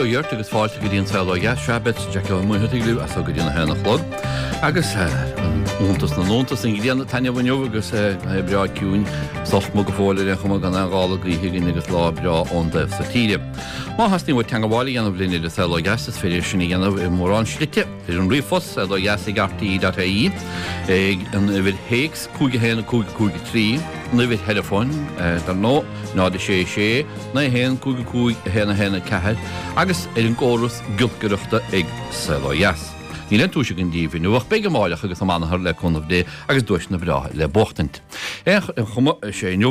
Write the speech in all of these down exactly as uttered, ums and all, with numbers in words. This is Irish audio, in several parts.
Ó Dheart agus fáilte go dtí an Saol Ó Dheas. Sea, beidh Jackie Ó Muircheartaigh libh as so go dtí a haon a chlog. Agus iontas na n-iontas an ghrian ag taitneamh inniu agus é breá ciúin sách go fóill ar aon chuma gan aon ghála gaoithe againn agus lá breá ón dtaobh so tíre. Má theastaíonn uait teagmháil a dhéanamh linn ar an Saol Ó Dheas is féidir sin a dhéanamh i mórán slite ar an ríomhphost saol ó dheas ag rte.ie ag an uimhir théacs cúig a haon cúig cúig a trí, an uimhir theileafóin dar ndóigh náid a sé sé naoi haon cúig cúig a haon a haon a ceathair agus ar an gcóras giolcaireachta ag Saol Ó Dheas. Níl aon duais againn daoibh inniu ach beidh amárach agus amanathar le cúnamh Dé agus duaiseanna breátha le buachtaint. Ar aon chuma, is é inniu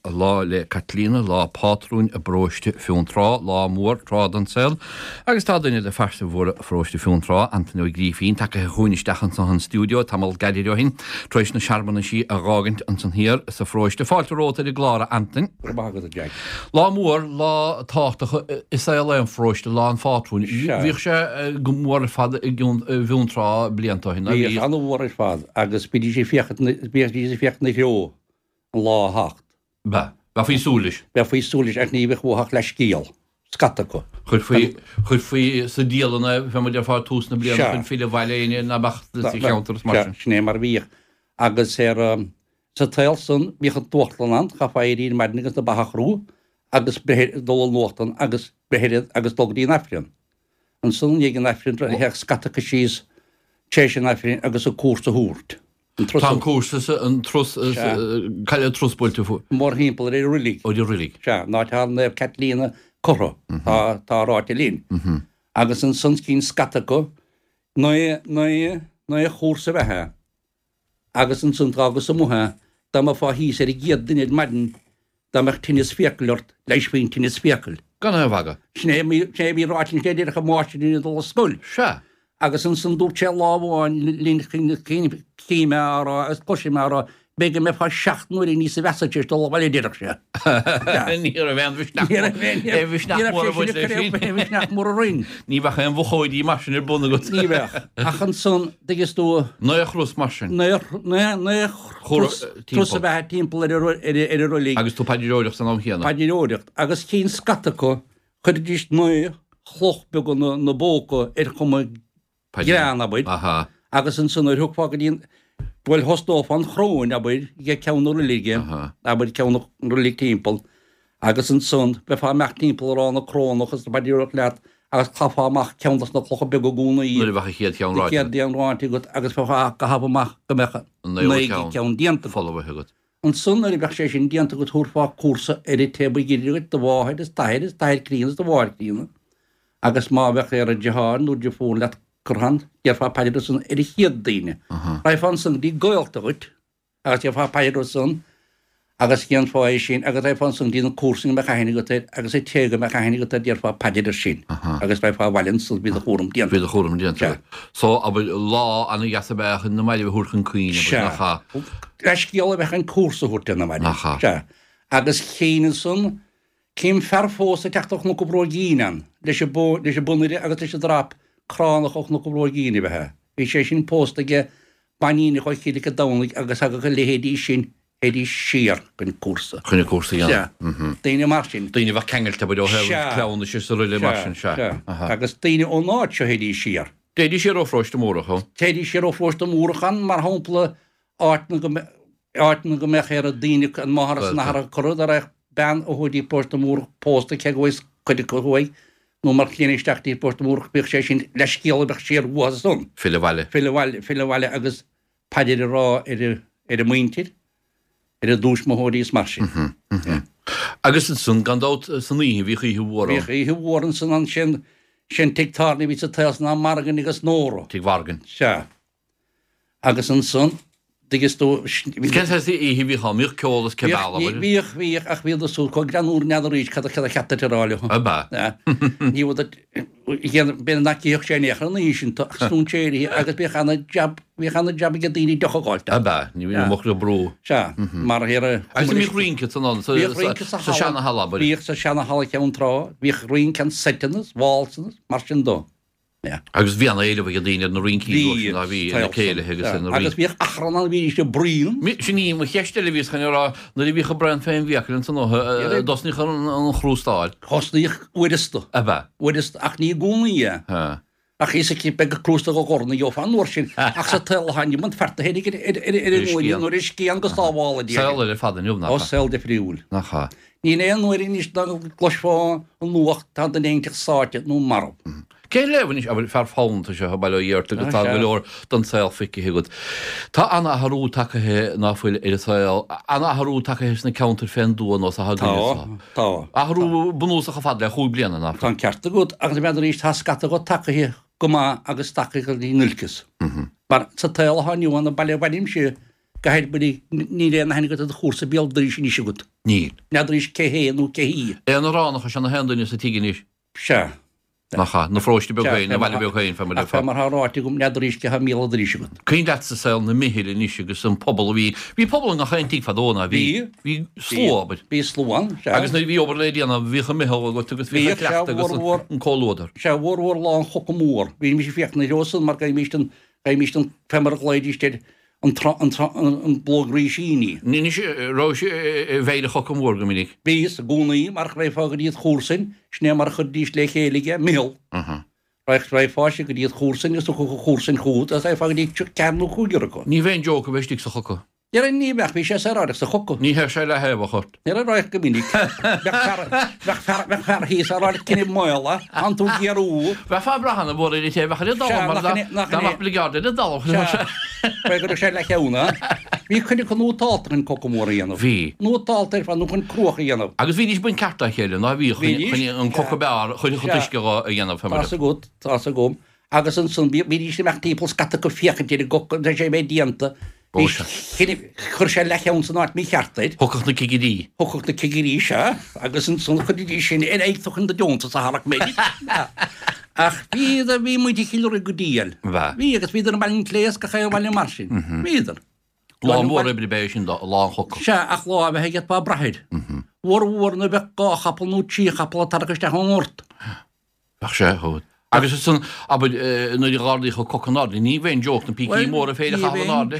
Lá 'le Caitlíona, lá pátrúin i bparóiste Fionntrá, lá mór tráth den saol agus tá duine de phearsa mhóra pharóiste Fionntrá, Antaine Ó Grífín, tagaithe chugainn isteach anso an stiúideo tamall gairid ó shin, tar éis na searmanaisí a dh'fhágaint ansan thiar sa pharóiste. Fáilte romhat ar an gclár, a Antain. Go raibh maith agat, a Jack. Lá mór, lá tábhachtach i saol aon pharóiste, lá an phátrúin. Bhíodh sé go mór ar fad i bhFionntrá blianta ó shin, ná bhíodh? Bhíodh an-mhór ar fad agus bhídís ag féachaint bhídís ag féachaint ina threo an lá a theacht. Bheadh. Bheifí ag súil leis. Bheifí ag súil leis ach ní bheadh uathu ach leathscéal, scata acu. Chuirfí, chuirfí sa dialann é, fé mar a déarfá, tús na bliana chun filleadh abhaile éinne ná beadh sa cheantar is mar sin. Sea, sin é mar a bhíodh. Agus ar, sa tsaol san, bhíodh an t-uchtlann ann, chaithfeá éirí ar maidin agus na ba a chrú agus breith, dul an uchtlann agus breith ar, agus dul go dtí an Aifreann. Ansan i ndiaidh an Aifrinn théadh scata acu síos tar éis an Aifrinn agus an cúrsa a thabhairt. An turas. Tá an cúrsa sa, an turas, cá bhfuil an turas buailte fú? Mórthimpeall ar an roilig. Ar an roilig. Sea, an áit atá Naomh Caitlíona curtha, tá, tá ráite linn. Agus ansan chinn scata acu naoi, naoi, naoi chúrsa ab ea é. Agus ansan d'fhágas amuigh é, dá mbeifeá thíos ar an gcéad duine ar maidin, dá mbeadh tinneas fiacal ort, leighisfí an tinneas fiacal. Gan aon mhagadh. Sin é, sin é a bhí ráite linn, sin é a déarfadh an máistir linn ag dul ar scoil. Sea. Agus ansan dúirt sé lá amháin linn, chím é á rá agus cloisim é á rá, b'fhéidir go mbeifeá seacht n-uaire níosa mheasa tar éis dul abhaile, a déarfadh sé. Ní raibh aon mhisneach aon mhisneach mór ag baint leis sin. Aon mhisneach mór orainn. Ní bheadh aon mhochóidí mar sin ar bun agat. Ní bheadh. Ach ansan, dtuigeann tú. Naoi chros mar sin. Naoi chros turas ab ea timpeall ar an roilig. Agus tú paidreoireacht san am chéanna. Paidreoireacht. Agus chinn scata acu, chuiridís naoi chloch beaga 'na bpóca ar chuma grean, abair, agus ansan nuair thiocfá go dtí an, bhuel, thosnófá an chróin, abair, ag ceann na roilige, abair, ceann na roilig timpeall, agus ansan bheifeá imeacht timpeall ag rá na crónach is ag paidreoireacht leat agus chaithfeá amach ceann dos na clocha beaga i gcónaí. Nuair a bheadh an chéad cheann ráite. An chéad cheann ráite agat agus bheifeá á gcaitheamh amach go mbeadh an naoú ceann déanta. Folmhaithe agat. Ansan nuair a bheadh sé sin déanta agat thabharfá cúrsa ar an té ba ghiorra dhuit, do mháthair is d'athair is d'athair críonna is do mháthair críonna, agus má bheadh ar an deartháir nó deirfiúr leat curtha ann, déarfá paidir ansan ar an chéad daoine. Raghfá ansan go dtí gaolta dhuit agus déarfá paidir ansan agus dhéanfá é sin agus raghfá ansan go dtí na comharsana go mbeadh aithne agat air agus an té go mbeadh aithne agat air déarfá paidir air sin agus raghfá abhaile ansan bhí do chúram déanta. Bhí do chúram déanta. So, abair, lá ana-dheas ab ea chun na mairbh a thabhairt chun cuimhne, abair, nach ea? Sea. Leithscéal a bheadh an cúrsa a thabhairt ar na mairbh. Nach ea? Sea. Agus chinn ansan, Cím fear fós ag teacht ó Chnoc an Bhróigín ann, leis an leis an bponaire agus leis an drap cránach ó Chnoc an Bhróigín ab ea é. Bhí sé sin pósta aige bainíneach ó Chill Mhic an Domhnaigh agus thagadh a leithéidí sin, théidís siar chun cúrsa. Chun an cúrsa a dhéanamh. Sea. Daoine mar sin. Daoine a bheadh ceangailte, abair, ó thaobh cleamhnais is araile mar sin, sea. Sea, sea. Agus daoine ón áit seo théidís siar. Théidís siar ó Pharóiste Múrach, ó? Théidís siar ó Pharóiste Múrach ann, mar shampla, áit na go áit na go mbeadh ar daoine an máthair is an athair a curtha dá raibh bean ó thuaidh dtí Paróiste Múrach pósta cé go bhfuil cuid acu thuaidh nó mar chlainne isteach dtí Paróiste Múrach bíodh sé sin leithscéal a bheadh siar uathu san. Filleadh abhaile. Filleadh abhaile, filleadh abhaile agus paidir a rá ar a ar a muintir, ar a dtuismitheoirí is mar sin. Agus ansan gan dabht san oíche bhíodh oíche mhór ann. Bhíodh oíche mhór ansan ansin, sin tigh tábhairne a bhí sa tsaol san am Margain agus Nóra. Tigh Mhargain. Sea. Agus ansan, dtuigeann tú. Cén saghas oíche a bhíodh ann? Bhíodh ceol is cibé abair? Bhíodh, bhíodh, ach bhíodar súd chomh greannmhar n'fheadar arís cad a cad a cheap duit a rá leo. Ab ea? Ní bhfuil duit, b'fhéidir nach dtiocfadh sé in aon chor an oíche sin, ach stúinséirithe agus bhíodh ana-jab, bhíodh ana-jab ag daoine deoch a dh'fháilt. Ab ea? Ní bhíodh muc le brú. Sea, mar ar a. Agus an mbíodh rince san ann, sa seana-halla, abair? Bhíodh sa seana-halla Cheann Trá, bhíodh rince an seiteanna, válsanna, mar sin dó. Yeah. Agus bhí an-éileamh ag daoine ar na rincí Bhí, ná bhí na céilithe agus na Agus bhíodh achrann ann bhídís ag bruíon. Sin í mo cheist eile bhíos chun a rá nuair a bhíodh an braon fén bhfiacail ansan Yeah. dtosnaíodh an an chrústáil. Thosnaíodh uaireasta. Ab ea? Uaireasta ach ní i gcónaí é. Ha. Ach is aici beidh an crústa go gcorn a gheofá an uair sin ach sa tsaol atá inniu an fear féin ar ar ar ar an scian. nuair is scian go sábhála Dia. Saol eile fada inniu Ó nach ea? saol difriúil. Nach ea? Níl aon uair anois dá gcloisfeá an nuacht tá duine éigin sáite nó marbh. Cé léamh anois abair fear foghlamtha seo a baile Ó agus tá sea. go leor don saol feicthe agat. Tá an-athrú tagtha ná fuil ar an saol, an-athrú tagtha sna ceantair fén dtuath nó sa Tá, tá. Athrú bunúsach fad le chúig bliana ná Tá an ceart agat agus b'fhéidir arís tá scata go tagtha go maith agus tagtha go dtí an olcas. Mar sa tsaol atá inniu ann an baile a bhainimse go háirithe níl aon aithne agat ar do chomharsa béal dorais anois agat. Níl. N'fheadar cé hé nó cé hí. Aonaránach is ea na haon duine sa tigh anois. Sea. Nach ea, na pharóiste beag Sea, féin, na fé mar bhaile beag féin fé mar Ach fé mar atá ráite agam n'fheadar cé tá míle dorais agat. Cuimhin leat sa saol na meitheal anois agus an pobal a bhí bhí pobal i ngach aon tigh fadó ná bhí Bhí. bhí slua abair. Bhí slua ann, sea. Agus nuair a bhí obair le déanamh bhíodh an meitheal agat agus bhíodh an Bhíodh, sea, cleachtadh agus mhór, mhór. an comhluadar. Sea, mhór mhór lá an choca mór. Bhí mise ag féachaint ar san mar gheibhimís an gheibhimís an fé mar a ghlaoidís air an tra an tra an an blóg rísíní. Anois raibh sé i bhfeighil an choca mór go minic. Bhíos i gcónaí mar raghfá go dtí an chomharsain, sin é mar a chuiridís le chéile aige, meitheal. Raghfá go dtí an chomharsain agus thiocfadh an chomharsain chugat agus raghfá go dtí ceathair nó cúigear acu. Ní bheinn joke a bheith istigh sa choca. Déarfainn ní bheadh, bhí sé saoráideach sa choca. Ní théadh sé le thaobh a chort. Ní raibh go minic. Bheadh fear bheadh fear bheadh fear thíos á rá cinneadh maola, an tú géarú. Bheadh fear breá na bhfuair ar taobh a dal Sea, mar nach dá in é- nach dá in é- mbeadh bligeard ar an dtalamh. Sea, Bheadh go raibh sé le cheann, Bhí cuid acu nótálta chun coca mór a dhéanamh. Bhí. Nótálta ar fad nó chun cruach a dhéanamh. Agus bhídís ag baint ceart dá chéile ná bhí Bhídís. chun an coca beár chun chun Sea. uisce a dhéanamh fé mar. Tá's agat, tá's agam. Agus ansan bhídís imeacht timpeall scata acu féachaint ar an gcoca, tá sé bheith déanta. Ó, Bhí sea. chinne- Chuir sé leathcheann san áit mícheart air. Thiocfadh na cigirí. Thiocfadh na cigirí sea, agus ansan chuiridís sin ar aghaidh chun do deontas a tharrac mé. Ach bhí bhí muid Chill Ruaidh go diail. Bha. Bhí agus bhíodar i mBaile an Chléas gach aon bhaile mar sin. Bhíodar. Lá mór oibre b'é sin dá lá an choca. Sea, ach lá a bheith agat ba brath air. Mhór mhór nuair a bheadh dhá chapall nó trí chapall ag tarrac isteach ón ngort. Bheadh sé chomh. Agus is san abair nuair a dh'ardaíodh an coca in airde, ní bheinn joke na pící móra féin a chaitheamh in airde.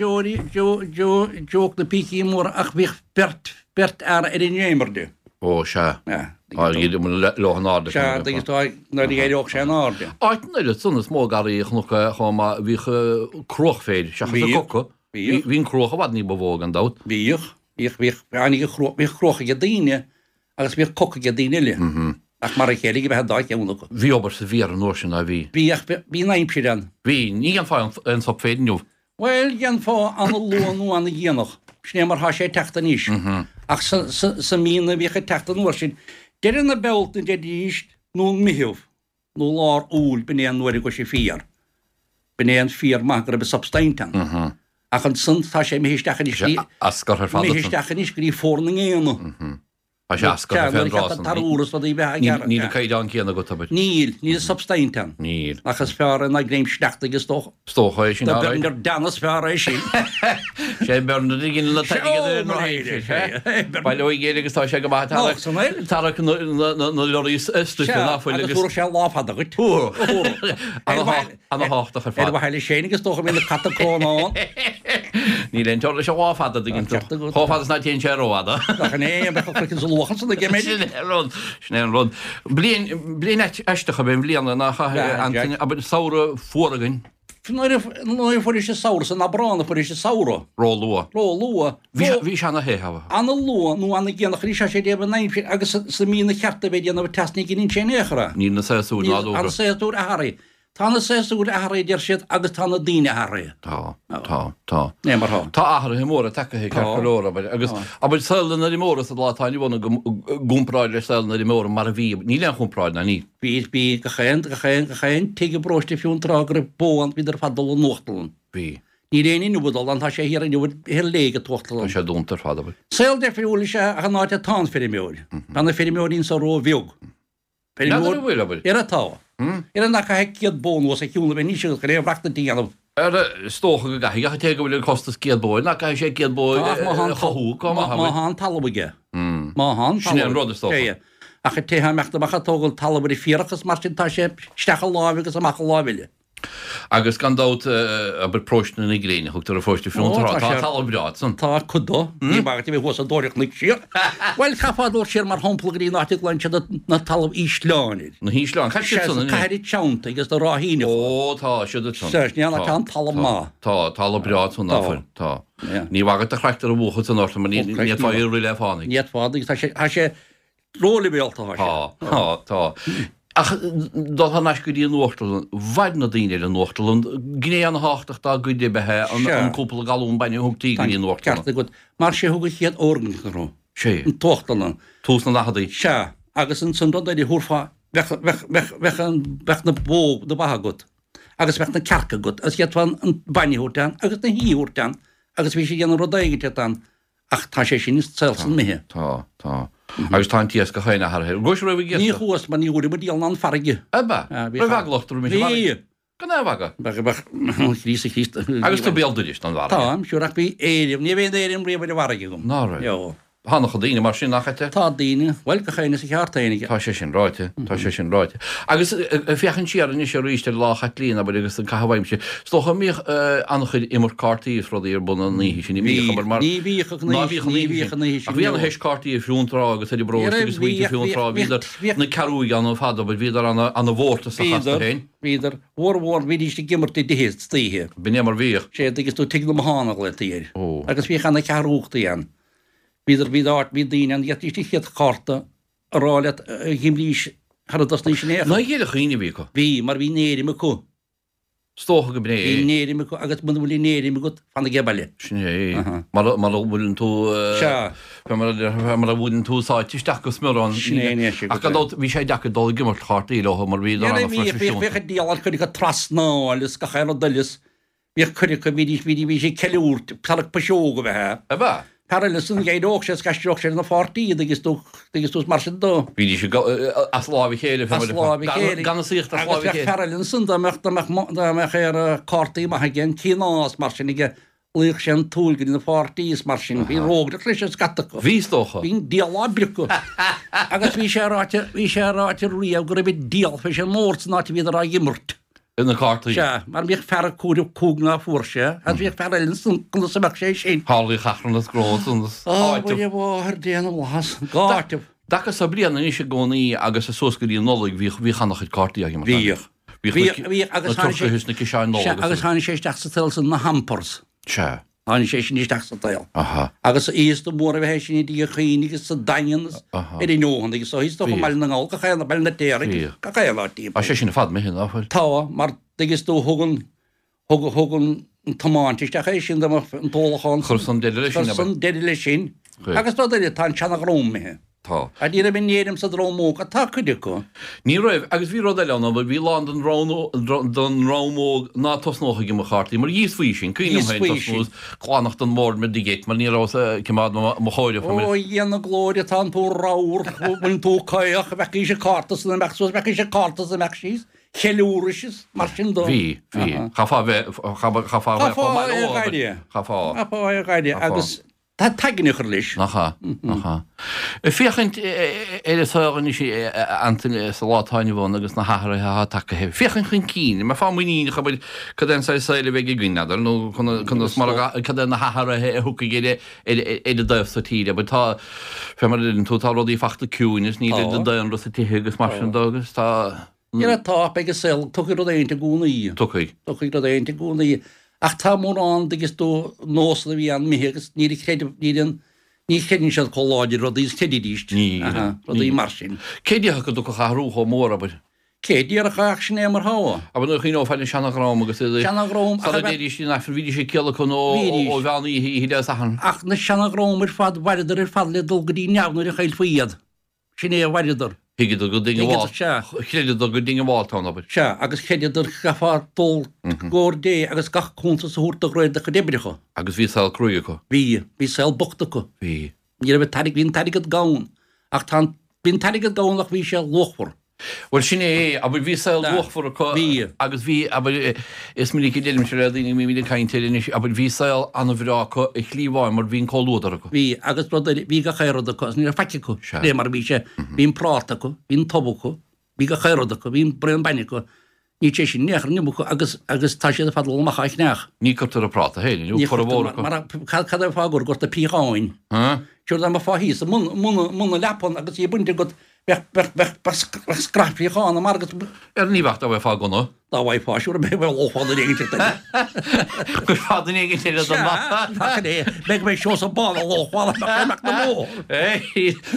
Joke joke na pící móra ach bhíodh beirt beirt fhear ar an ndréimire. Ó sea. Sea. Á leo in airde. Sea, agus tá nuair a éireodh sé in airde. Áit an oiread san is mó garraí chnoc chomh maith bhíodh cruach féir seachas an Bhíodh. coca. Bhíodh. Bhí an cruach i bhfad ní ba mhó gan dabht. Bhíodh, bhíodh, bhíodh, bhíodh cruach bhíodh cruach ag daoine agus bhíodh coca ag daoine eile. Ach mar a chéile go mbeadh an dá cheann acu. Bhí obair sa bhféar an uair sin a bhí. Bhíodh, bhí an aimsir ann. Bhí, ní dhéanfá aon sop féir inniu. Bhuel, dhéanfá an-luath nó an-dhéanach. Sin é mar thá sé ag teacht anois. Ach sa, sa, sa mí na bhíodh ag teacht an uair sin, deireadh na Bealtaine deiridís nó an Meitheamh nó lár Iúil b'in é an uair a gcuir sé féar. B'in é an féar maith go raibh substaint ann. Ach ansan tá sé imithe isteach anois go dtí, Ascar ar fad imithe ansan. isteach anois go dtí Fómhar na nGéanna. Tá sé ascar fén dtráth san. Níl an caighdeán céanna agat, abair. Níl, níl substaint ann. Níl. Ach is fearr é ná greim sneachta is dócha. Is dócha é sin, Tá alright. Bernard Dan is fearr é sin. Sé Bernard a ghin na Ó, mo réir, sé. Baile ó ghéire agus tá sé go maith Ná, san air. Tarrac na lorraí stuife ná fuil Agus agus fuair sé lá fada dhuit. Ana-thábhachtach ar Ar fad. mhaithe leis féin agus dócha bhí na cata crónán. Níl aon teora leis an lá fada do ghin tú. Ceart agat. Chomh fada is ná téann sé rófhada. Nach in é, bheadh an craiceann sa luachan san aige, Sin é an rud, sin é an rud. Bliain, bliain aisteach ab ea an bhliain nach Bhea, Antaine, Jack. abair samhradh fuar againn. Nuair a nuair a fuair sé samhradh san Aibreán a fuair sé samhradh. Ró-luath. Ró-luath. Bhí sé, bhí sé ana-the, haba. Ana-luath nó ana-dhéanach, ní sé sé déanamh an aimsir agus sa mí na cheart a bheith déanamh teas ní ghineann sé in aon chor é. Níl na séasúir Níl nádúrtha. an séasúr athraithe. Tá na séasúir athraithe deir siad agus tá na daoine athraithe. Tá, tá, tá. Né mar thá. Tá athruithe móra tagtha ceart go leor, abair, agus Tá. abair saol an fheirmeora sa lá atá inniu ann i gcomparáid le saol an fheirmeora mar a bhí, níl aon chomparáid ná níl. Bhí, bhí gach aon, gach aon, gach aon tigh i bparóiste fiú an tráth go raibh bó ann, bhíodar ar fad dul an uachtarlann. Bhí. Níl aon inniu ag dul ann, tá sé thiar inniu thiar léig an t-uachtarlann. Tá sé dúnta ar fad, abair. Saol difriúil is ea ach an áit atá an feirmeoir. Tá na feirmeoirí anso ró-bheag. N'fheadar an bhfuil, abair. Ar atá. Ar an nach caithfidh céad bó anuas a shiúl a bheith níos ag ré bhreachtain a dhéanamh. Ar is dócha go gcaithfidh, ach an té go bhfuil an costas céad bó, nach gcaithfidh sé céad bó Tá, ach má a thá an chothú, tal- go maith, má abair. thá an talamh aige. Má thá an Sin é an talamh rud is dócha. aige. Ach an té atá ag imeacht amach ag tógáil talamh ar an bhféarach is mar sin tá sé isteach i láimh agus amach i láimh eile. Agus gan dabht, abair Paróiste na Gréine, thugtar ar Pharóiste Fionntrá. Tá talamh breá ansan. Tá cuid dó. Ní bagairt a bheith thuas ag dóireacht cnoic siar. Bhuel, caithfeá dul siar mar shampla go dtí an áit a nglaonn siad na talamh ísleáin air. Na hísleáin, cad siad san anois? Cathair an tSeantaigh agus na Ráithíneacha. Ó, tá siad ansan. Sea, ní tá an talamh maith. Tá, talamh breá ansan, ná fuil? Tá. Ní bhagairt do charachtar a bhuachan san ort mar ní fhéadfá é a rith le fánaidh. Ní fhéadfá, agus tá sé, tá sé róleibhéalta, tá sé. Tá, tá, tá. Ach dul thar n-ais go dtí an uachtarlann, mhair na daoine ar an uachtarlann, gné ana-thábhachtach dá gcuid ab ea an cúpla galún bainne a thugtaí go dtí an uachtarlann. Ceart agat. Mar sé thug an chéad fhoirgneamh orthu. Sé. An t-uachtarlann. Tús na ndaicheadaí. Sea. Agus ansan rud eile thabharfá, bheadh, bheadh, bheadh, bheadh an, bheadh na bó, na ba agat agus bheadh na cearca agat agus d'fhéadfá an bainne a thabhairt ann agus na hí a thabhairt ann agus bhí siad ag déanamh rud éigin ann. Ach tá sé sin sa tsaol san imithe. Tá, tá. Agus tá an t-iascach féin athraithe. An gcuais riamh ag Ní iascach? chuas mar ní thabharfadh muid diabhal ná an farraige. Ab ea? Raibh eagla ort roimis an bhfarraige? Bhí. Gan aon mhagadh. Bheadh, bheadh, Chríost, Chríost. Agus tú béal dorais don bhfarraige. Táim, sure, ach bhí éirim, ní raibh aon éirim riamh ar an bhfarraige agam. Ná raibh? Eo. Tá an-chuid daoine mar sin, nach ea? Tá daoine, bhuel, gach éinne is a cheart féin aige. Tá sé sin ráite, tá sé sin ráite. Agus féachaint siar anois arís ar Lá Chaitlín, abair, agus an caitheamh aimsire, is dócha an mbíodh an-chuid imirt cártaí is rudaí ar bun an oíche sin, ní bhíodh, abair, mar. Ní bhíodh an oíche sin, ní bhíodh an oíche sin. Ach bhí ana-theist cártaí i Fionntrá agus ar an bparóiste agus muintir Fionntrá, bhíodar, na Cearúigh ann ar fad, abair, bhíodar ana-mhórtasach astu féin. Bhíodar, mhór mhór, bhídís ag imirt i dtithe istoíche. B'in é mar bhíodh. Sé, agus tú tigh na mBothán a ghlaotaí air. Agus bhíodh ana-cheathrúchtaí ann. Bhíodar, bhí áit, bhí daoine ann, d'fhéadfaidís an chéad chárta a rá leat a dh'imrís shara dtosnaís in aon chor. Ná ghéire chaoin a bhí acu? Bhí, mar bhí an éirim acu. Is dócha go b'in é. Bhí an éirim acu agus muna bhfuil an éirim agat, fan age baile. Sin é. Mara, mara bhfuileann tú, Sea. fé mar a, mara bhfuileann tú sáite isteach go smior ann. Sin é, anois. Ach gan dabht, bhí sé deacair dul ag imirt chártaí leo mar bhíodar an-phroifisiúnta. Bhíodh an diabhal cuid acu trasnáil is gach aon rud eile is Bhíodh cuid acu, bhídís, bhídís, bhí siad ag ceiliúrt, tarrac piseog a bheith ea. Ab ea? Fear eile san, d'éireodh sé is d'aisteodh sé ar na pháirtí iad agus tú, agus tú mar sin dó. Bhídís ag, as láimh a chéile, As láimh a chéile. Gan a saíocht as láimh a chéile. Agus bheadh fear eile ansan dá mbeadh, dá mbeadh, dá mbeadh ar cártaí maith aige, an cinn is mar sin aige, luíodh sé an tsúil go dtí na pháirtí is mar sin. Bhí rógaireacht leis ar scata acu. Bhí, is dócha. Bhí an diabhal á bpriocadh. Agus bhí sé ráite, bhí sé ráite riamh go raibh an diabhal fé sin mór san áit a bhíodar á imirt. Na cártaí. Sea, mar bhíodh fear ag comhaireamh cúig ná fuair sé, agus bhíodh fear eile ansan conas a bheadh sé sin. Tharlaíodh achrann is gnó ansan is Á, áiteamh. Mhuire Mháthair Dé na bhFlaitheas, dhá áiteamh. Dtaca sa bliain anois i gcónaí agus suas go dtí an Nollaig bhíodh, bhíodh an-chuid cártaí á imirt. Bhíodh. Bhíodh, bhíodh, agus tháinig sé, na turcaithe is na ciseáin Nollag. Sea, agus tháinig sé isteach sa tsaol san na hampers. Sea. Tháinig sé sin isteach sa tsaol. Aha. Agus is mór a bheith sin i dTír Chaoin agus sa Daingean is Aha. ar an Eoghan agus ó is dócha i mBaile na nGall gach aon Baile an Fheirtéaraigh Bhíodh. gach aon áit timpeall. Tá sé sin ar fad imithe, ná fuil? Tá, mar tuigeann tú thug an thug thug an an tiomáint isteach é sin dá mbeadh an t-ólachán Chuir san deireadh leis sin, Chuir abair. san deireadh leis sin. Chuir. Agus rud eile, tá an seana-dhream imithe. Tá. Ach ní raibh an éirim sa dream óg, ach tá cuid acu. Ní raibh, agus bhí rud eile ann, bhí a lán den dream óg ná tosnódh ag imirt chártaí, mar dhíosfaí sin, cuimhin liom féin tosnú is glanacht an bhoird mar digit, mar ní rabhas ag coimeád mo chomhaireamh. Ó, a Dhia na glóire, tánn tú ramhar, bhfuil tú caoch, bheadh an cárta san imeacht suas, bheadh an cárta san imeacht síos, cheiliúrais is mar sin dó. Bhí, bhí. Chaithfeá a bheith, chaithfeá a bheith chomh maith leo, abair. Chaithfeá. Chaithfeá a ghaire, agus. Tá t'aigne a chur leis. Nach ea? Nach ea? Ag féachaint ar an saol anois, a Antaine, sa lá atá inniu ann agus na hathruithe atá tagtha. Féachaint chun cinn, an mbeifeá muiníneach, abair, cad é an saghas saoil a bheidh againn, n'fheadar, nó conas mar a, cad é na hathruithe a thiocfaidh ar ar an dtaobh so tíre. Abair, tá, fé mar a deireann tú, tá rudaí fachta ciúin is níl an daonra sa tithe agus mar sin de agus tá. Dhera tá, beidh an saol, tiocfaidh rud éigint i gcónaí. Tiocfaidh. Tiocfaidh rud éigint i gcónaí. Ach tá mórán, dtuigeann tú, nósanna a bhí ann imithe agus níl an creideamh, níl an, ní chreideann siad chomh láidir rudaí is chreididís. Ní, Aha, rudaí mar sin. Cé déarfadh go dtiocfadh athrú chomh mór, abair? Cé déarfadh ach sin é mar thá. Abair nuair a chuimhneofá ar an seana-dhream agus iad ag, Seana-dhream, ach sara a bheith. dtéidís in Aifreann, bhídís ag ciallacan ó, Bhídís. ó mheán oíche, oíche Dé Sathairn. Ach na seana-dhream ar fad, mhaireadar ar fad le dul go dtí neamh nuair a chaillfí iad. Sin é a mhaireadar. Thuigeadar gur Thuigeadar, sea. Chreideadar gur diongbháilte ann, abair. Sea, agus chreideadar go gcaithfeá dul i gcomhair Dé agus gach cuntas a thabhairt de réir do chuid oibreacha. Agus bhí saol cruaidh acu. Bhí. Bhí saol bocht acu. Bhí. Ní raibh an t-airgead, bhí an t-airgead gann, ach tá an, bhí an t-airgead gann ach bhí sé luachmhar. Bhuel sin é, abair bhí saol luachmhar acu Bhí. agus bhí, abair, is minic a deirimse le daoine a mbímid ag caint air anois, abair bhí saol an-bhreá acu i shlí amháin mar bhí an comhluadar acu. Bhí, agus rud eile, bhí gach aon rud acu agus ní raibh faic acu, Sea. lé mar a bhí sé, bhí an práta acu, bhí an t-ubh acu, bhí gach aon rud acu, bhí an braon bainne acu, níl sé sin in aon chor inniu acu agus, agus tá siad ar fad ag dul amach á cheannach. Ní cuirtear an práta féin inniu, Ní formhór chuirtear, acu. mar, mar, cad, cad é an fáth gur gorta piocháin? Huh? Siúr dá mbeifeá thíos i mbun, mbun, mbun na leapan agus í bainte agat, bheadh, bheadh, bheadh, bheadh scraith piocháin amach agat. Ar ní bheadh dá bhfaighfeá gunna. Dá bhfaighfeá, siúr, bheadh lófá duine éigin eile. Chuirfeá duine éigin eile don mapa. Sea, é. Beidh mé Seosamh Bán a lófá amach na bóthar.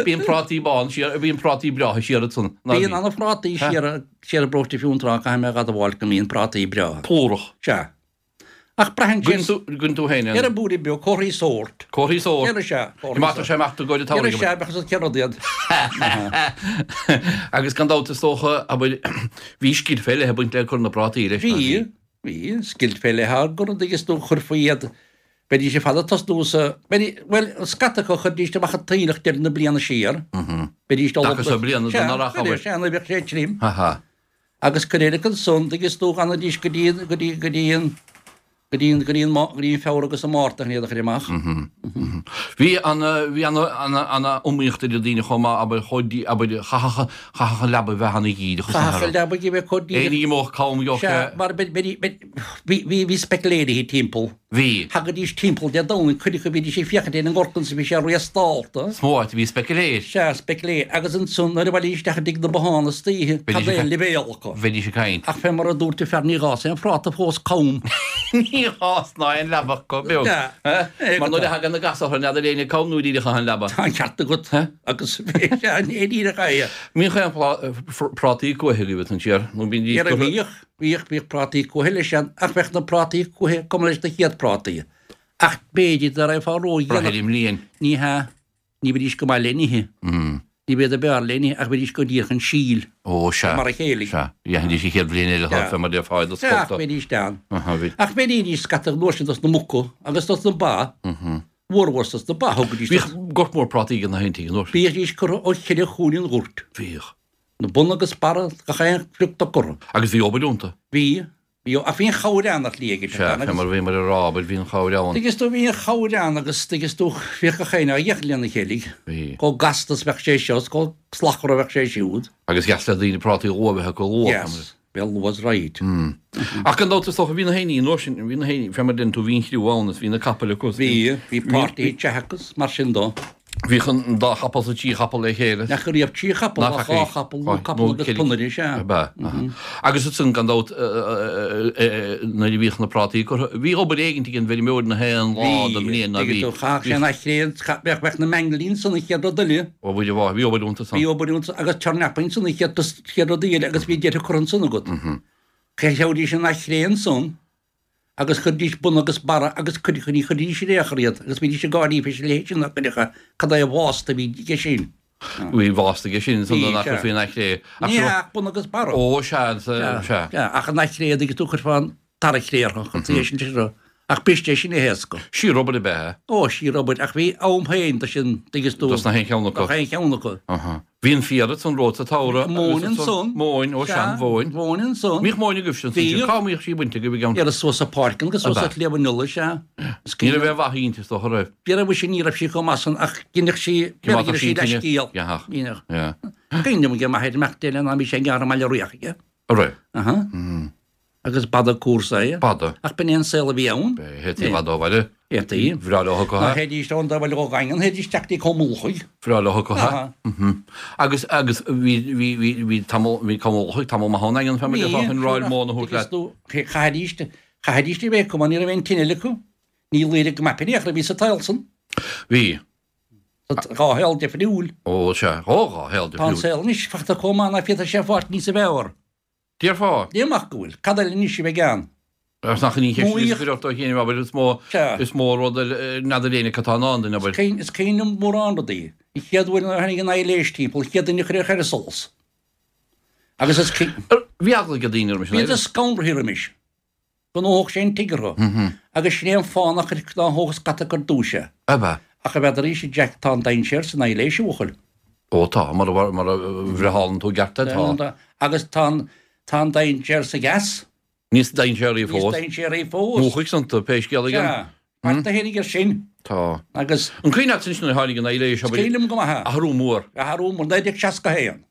Bíonn prátaí bán siar, bíonn prátaí breátha siar ansan. Bíonn ana phrátaí siar, siar i bparóiste Fionntrá, caithfidh mé a admháil go mbíonn prátaí breátha. Plúrach. Sea. Ach braitheann Goin sin tú, goin tú féin ar an an bpúire beag, comharthaí sóirt. comharthaí sóirt. Ar sea, comharthaí Má tá sé amach do ghoid Ar sea, bheadh siad cén rud iad. Agus gan dabht is dócha, abair, bhí scil fé leith ag baint le cur na bprátaí leis. Bhí, bhí, scil fé leith gur rud agus tú chuirfí iad, bheidís ar fad ag tosnú sa, bheidí, bhuel, scata acu chuirdís amach an t-aoileach deireadh na bliana siar. Bheidís dul Dtaca sa bliana don earrach, abair. Sea, nuair a bheadh sé tirim. Ha ha. Agus cuid eile ansan, agus tú fhanaidís go dtí, go dtí, go dtí an, go dtí an, go dtí an, go dtí an Feabhra agus an Márta chun iad a chur amach. Bhí an, bhí an, an, an iomaíocht idir daoine chomh maith, abair, chomh dí, abair, chaithfeadh, chaithfeadh an leaba bheith ana-dhíreach is Chaithfeadh an leaba a bheith chomh díreach. Éinne imeodh cam gheobhadh Sea, sé. mar bhí, bhí, bhí, bhí, bhí speiciléirí timpeall. Bhí. Thagaidís timpeall Dé Domhnaigh, cuid acu bhídís ag féachaint ar an ngort ansan bhí sé réasdálta. Is mó áit a bhí speiciléir. Sea, speiciléir. Agus ansan nuair a bhailídís isteach i dtigh na bothán istoíche, Bheidís cad é ag an leibhéal acu? Bheidís ag caint. Ach fé mar a dúirt an fear ní dh'fhás aon phráta fós cam. Ní dh'fhás ná aon leaba chomh beag. Sea. Eh? Mar nuair a thagann na gasa orthu n'fheadar éinne cam nó díreach an leaba. Tá an ceart agat. Agus sea, ní díreach é. Mbíodh aon prátaí cumha agaibh ansan siar, nó bíonn Dhera bhíodh, bhíodh, bhíodh prátaí cumha leis an, ach bheadh na prátaí cumha cuma leis na chéad prátaí. Ach b'fhéidir dá raibh ródhéanach. Braithfidh i mbliain. Ní hea, ní bheidís go maith le n-ithe. Ní bheadh a b'fhearr le n-ithe, ach bheidís go díreach chun síl. Ó, sea. Mar a chéile. Sea, dhéanfaidís an chéad bhliain eile Sea. fé mar déarfá do Sea, ach scolta. bheidís teann. Aha, bhí. Ach bheidís scata nuair sin dos na muca agus dos na ba. Mhórmhór dos na ba, thugaidís Bhíodh dos- gort mór prátaí ag na haon tigh an uair sin. Bhíodís curtha ó cheithre chúinne an ghoirt. Bhíodh. Na bun agus barra, gach aon phioc dá curtha. Agus bhí obair iontu. Bhí, bhí, ach bhí an chabhair ann ar shlí aige Sea, fé mar bhí mar a rá, abair, bhí an chabhair ann. Tuigeann tú, bhí an chabhair ann agus tuigeann tú, bhíodh gach aon á dhícheall lena chéile. Bhí. Chomh gasta is bheadh sé seo, is chomh slachtmhar a bheadh sé siúd. Agus dheas le daoine prátaí luath a bheith acu luath. Yes, bhí luas right. Ach gan dabht is dócha, bhí na héinní an uair sin, bhí na héinní, fé mar a deireann tú, bhí an chriú ann is bhí na capaill acu. Bhí, bhí páirtí teach acu, mar sin dó. Bhíodh an dá chapall sa trí chapall le chéile. Nach raibh trí chapall, Nach ach dhá chapall, nó capall agus ponaire, sea. Ab ea, aha. Agus ansan gan dabht, nuair a bhíodh na prátaí curtha, bhí obair éigin ag an bhfeirmeoir na haon lá den mbliain ná bhí. Bhí, chaith sé na chéad, bheadh, bheadh na meainglí ansan an chéad rud eile. Ó, bhí, bhí obair iontu san. Bhí obair iontu agus turnap ansan an chéad, chéad rud eile agus bhí deireadh curtha ansan agat. Chaithfidís an chré ansan agus chuiridís bun agus barra agus cuid chuirí chuiridís ar aon chor iad agus bhídís ag gáirí fé sin leithéid sin nach cuireadh cad é a bhásta a bhí aige sin. Bhí bhásta aige sin san Bhí, nach sea. faoin aichré. Ach Ní seo- ach bun agus barra. Ó, sea, sea, sea. Sea, ach an aichré a tú chuirfeá an dara cré orthu, chun é sin seo. Ach b'iste é sin a héasca. Síorobair ab ea é. Ó, síorobair, ach bhí am féin do sin, tuigeann tú. Dos na haon cheann acu. Dos na haon cheann acu. Aha. Bhí an féar ansan romhat sa tsamhradh. Móin ansan. Móin, ó sea, mhóin. Mhóin ansan. Mbíodh móin agaibhse ansan. Bhíodh. Cá mbíodh sí bainte agaibh i gceann? Iarraidh suas sa pháirc agus suas Ab ea? sa tsliabh an Iola, sea. Is Ní raibh cuimhin aon mhaith inti is dócha, raibh? Bhí raibh sí, ní raibh sí chomh maith san ach ghineadh sí, Cé maith bhí sí sí le tine? scéal. Gheathach. Ghineadh. Yeah. Cuimhin liom go maith ar imeacht eile ná bhí sé ag gearradh i mBaile Riach aige. An raibh? Aha. Agus b'fhada cúrsa é. B'fhada. Ach b'in é an saol a bhí ann. Théití i bhfad ó bhaile. Théití. Bhreá leo acu, Ná ha? théidís ón dá bhaile ó Dhaingean, théidís isteach dtí Com Ulchaigh. Bhreá leo acu, ha? Aha. Mhm. Agus, agus bhí, bhí, bhí, bhí tamall, bhí Com Ulchaigh tamall maith ón nDaingean, fé mar a déarfá, chun ráil móna a thabhairt leat. Chaithfidís, chaithfidís a bheith acu mar ní raibh aon tine eile acu. Ní léirigh go maith in aon chor a bhí sa tsaol san. Bhí. Tá dhá shaol difriúil. Ó, sea, ó, dhá shaol Tá an difriúil. saol anois fachta chomh maith ná féadfadh sé fáilt níos a bheith. Déarfá? Ní amach go bhfuil. Cad eile anois a bheidh ann? Agus nach in aon cheist Móíoch. is cuireadh dó féin, abair, is mó, Sea. is mó rud eile, n'fheadar éinne cad tá i ndán duine, abair. Is cuimhin, is cuimhin liom mórán rudaí. An chéad uair nuair a tháinig an aibhléis timpeall, an chéad duine a chuir ar solas. Agus is cuimhin. Ar, bhí eagla ag daoine roimis an Bhíodar aibhléis. scanraithe roimis. Go ndófadh sé an tigh orthu. Agus sin é an fáth nach chuir ná thóg scata ar dtús é. Ab ea? Ach a bheadar arís, a Jack, tá an dainséar san aibhléis, a bhuachaill. Ó tá, mar a mar a bhreithálann tú gceart é, tá. Agus tá an tá an dainséar sa gheas. Níos dainséaraí Níos fós. dainséaraí fós. Múchfaidh san tú pé scéal é. Sea. Mar do tháinig air sin. Tá. Agus. An cuimhin leat ansin nuair a tháinig an ailléis Is cuimhin liom go maith é. Athrú mór. Athrú mór, naoi déag seasca a haon.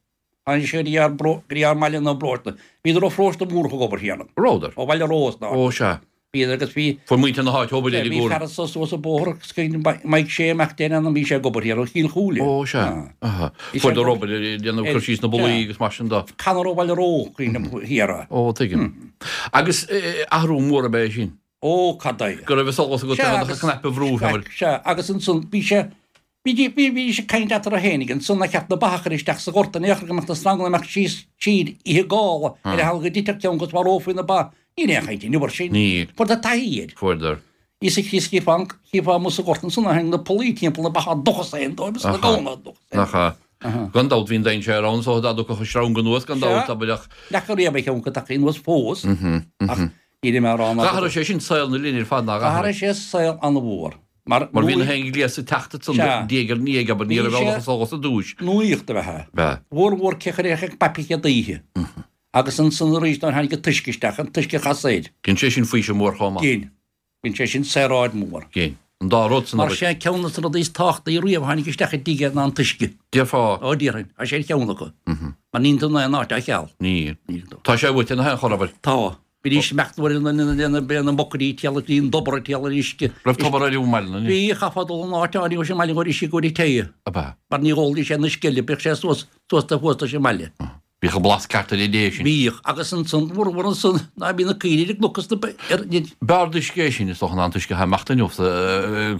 Tháinig sé go dtí ár go dtí ár mbaile nó bparóiste. Bhíodar ó pharóiste Múrach ag obair thiar ann. Rabhadar? Ó Bhaile Rós ná. Ó sea. Bhíodar agus bhí. Fuair muintir na háite obair ar Bhí fear anso suas an bóthar agus cuimhin Mike Shea mac Den ann bhí sé ag obair thiar ó Chill Chúile. Ó sea. Aha. Fuaireadar obair ag déanamh cur síos na bpollaí agus mar sin de. Conor ó Bhaile Ró cuimhin liom thiar é. Ó tuigim. Agus athrú mór ab ea é sin. Ó, cad é. Go raibh solas agat gan ach cnaipe a bhrú, fé mar. Sea, agus ansan bhí sé, bhí, bhí, bhí sé ag caint eatarthu fhéinig ansan nár cheart na ba a chur isteach sa ghort in aon chor go mbeadh na sranganna amach síos tríd oíche gála ar a sheal go dtitfeadh ceann agus mharófaí na ba. Níl aon chaint inniu air sin. Níl. Fuaireadar taithí air. Fuaireadar. Íosa Críost chífeá, chífeá amuigh sa ghort ansan tháinig na pollaí timpeall na ba á dtochas féin dóibh is na Aha. gamhna á dtochas féin. Nach ea. Gan dabht bhí an dainséar ann so dá dtiocfadh an sreang anuas gan dabht, abair ach. N'fheaca riamh é ceann acu tagtha anuas fós ach Níl mé a rá ná. D'athraigh sé sin saol na linne ar fad, nár athraigh? D'athraigh sé saol an-mhór. Mar Mar bhí na haon ghléas ag teacht ansan Sea. diaidh ar ndiaidh, abair, ní Bhí raibh sé eolach solas ar dtúis. Nuaíocht ab ea é. B'ea. Mhór mhór cé chuir ag paipigh chéad oíche. Agus ansan arís nuair a tháinig an t-uisce isteach, an t-uisce a chasadh air. Dhein sé sin faoiseamh mór chomh maith. Dhein. Dhein sé sin saoráid mhór. Dhein. An dá rud san, Mar abair. sé ceann de na rudaí is tábhachtaí riamh a tháinig isteach i dtigh ná an t-uisce. Déarfá. Ó, déarfainn. Tá sé ar cheann acu. Mar níl tú in aon áit á cheal. Níl. Níl tú. Tá sé uait ina haon chor, abair. Tá. Bhídís imeacht nuair a na na bocairí téala bhí an tobar ag téala ar uisce. Raibh tobar ar an mbaile, ní? Bhí, chaithfeá dul an áit áirithe leis an mbaile chun uisce a chur te. Ab ea? Mar ní ólfaidís aon uisce eile, bíodh sé suas, suas de thuas leis an mbaile. Bhíodh an blas ceart ar an dtae sin. Bhíodh, agus ansan, mhór mhór ansan, ná bhí na caoirigh ar an gcnoc is na ba, ar, ní. B'fhearr d'uisce é sin, is dócha, ná an t-uisce atá imeacht inniu sa,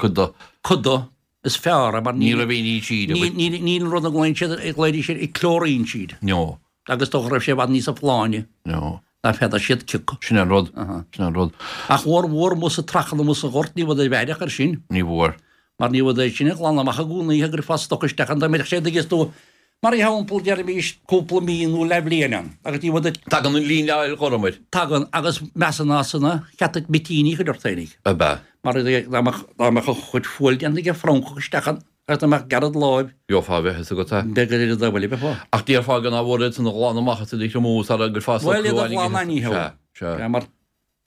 cuid de. Cuid de, is fearr é mar Ní ní, raibh aon ní tríd, ní, ní, níl an rud a nglaonn siad, a ghlaoidís siad, clóirín tríd. No. Agus dócha raibh sé i bhfad níosa folláine. No. Ná féadfadh siad cioca. Sin é an rud. Sin é an rud. Ach mhór mhór amuigh sa trachan amuigh sa ghort, ní bhfuadar bheaireach air sin. Ní bhfuair. Mar ní bhfuadar sin a ghlanadh amach i gcónaí, go gcuirfeá stoc isteach ann dá mbeadh sé dtuigeas tú. Mar shampla, deirimis cúpla mí nó leathbhliain ann, agus ní bhfuadar. Tagann an líneáil ghorm air. Tagann, agus measann as san cheart duit mitíní a chur ort féinig. Ab ea? Mar dá mbeadh dá mbeadh a chuid fuail déanta aige francach isteach ann, agus dá mbeadh gearradh láimh. Gheofá a bheith fhios agat é. Beidh go dtí bhuel, bheifeá. Ach déarfá go nach bhfuair iad san a ghlanadh amach as iad a thriomú sara gcuirfeá Bhuel, socrú iad a áirithe. ghlanadh ní hea. Sea, sea. Sea, mar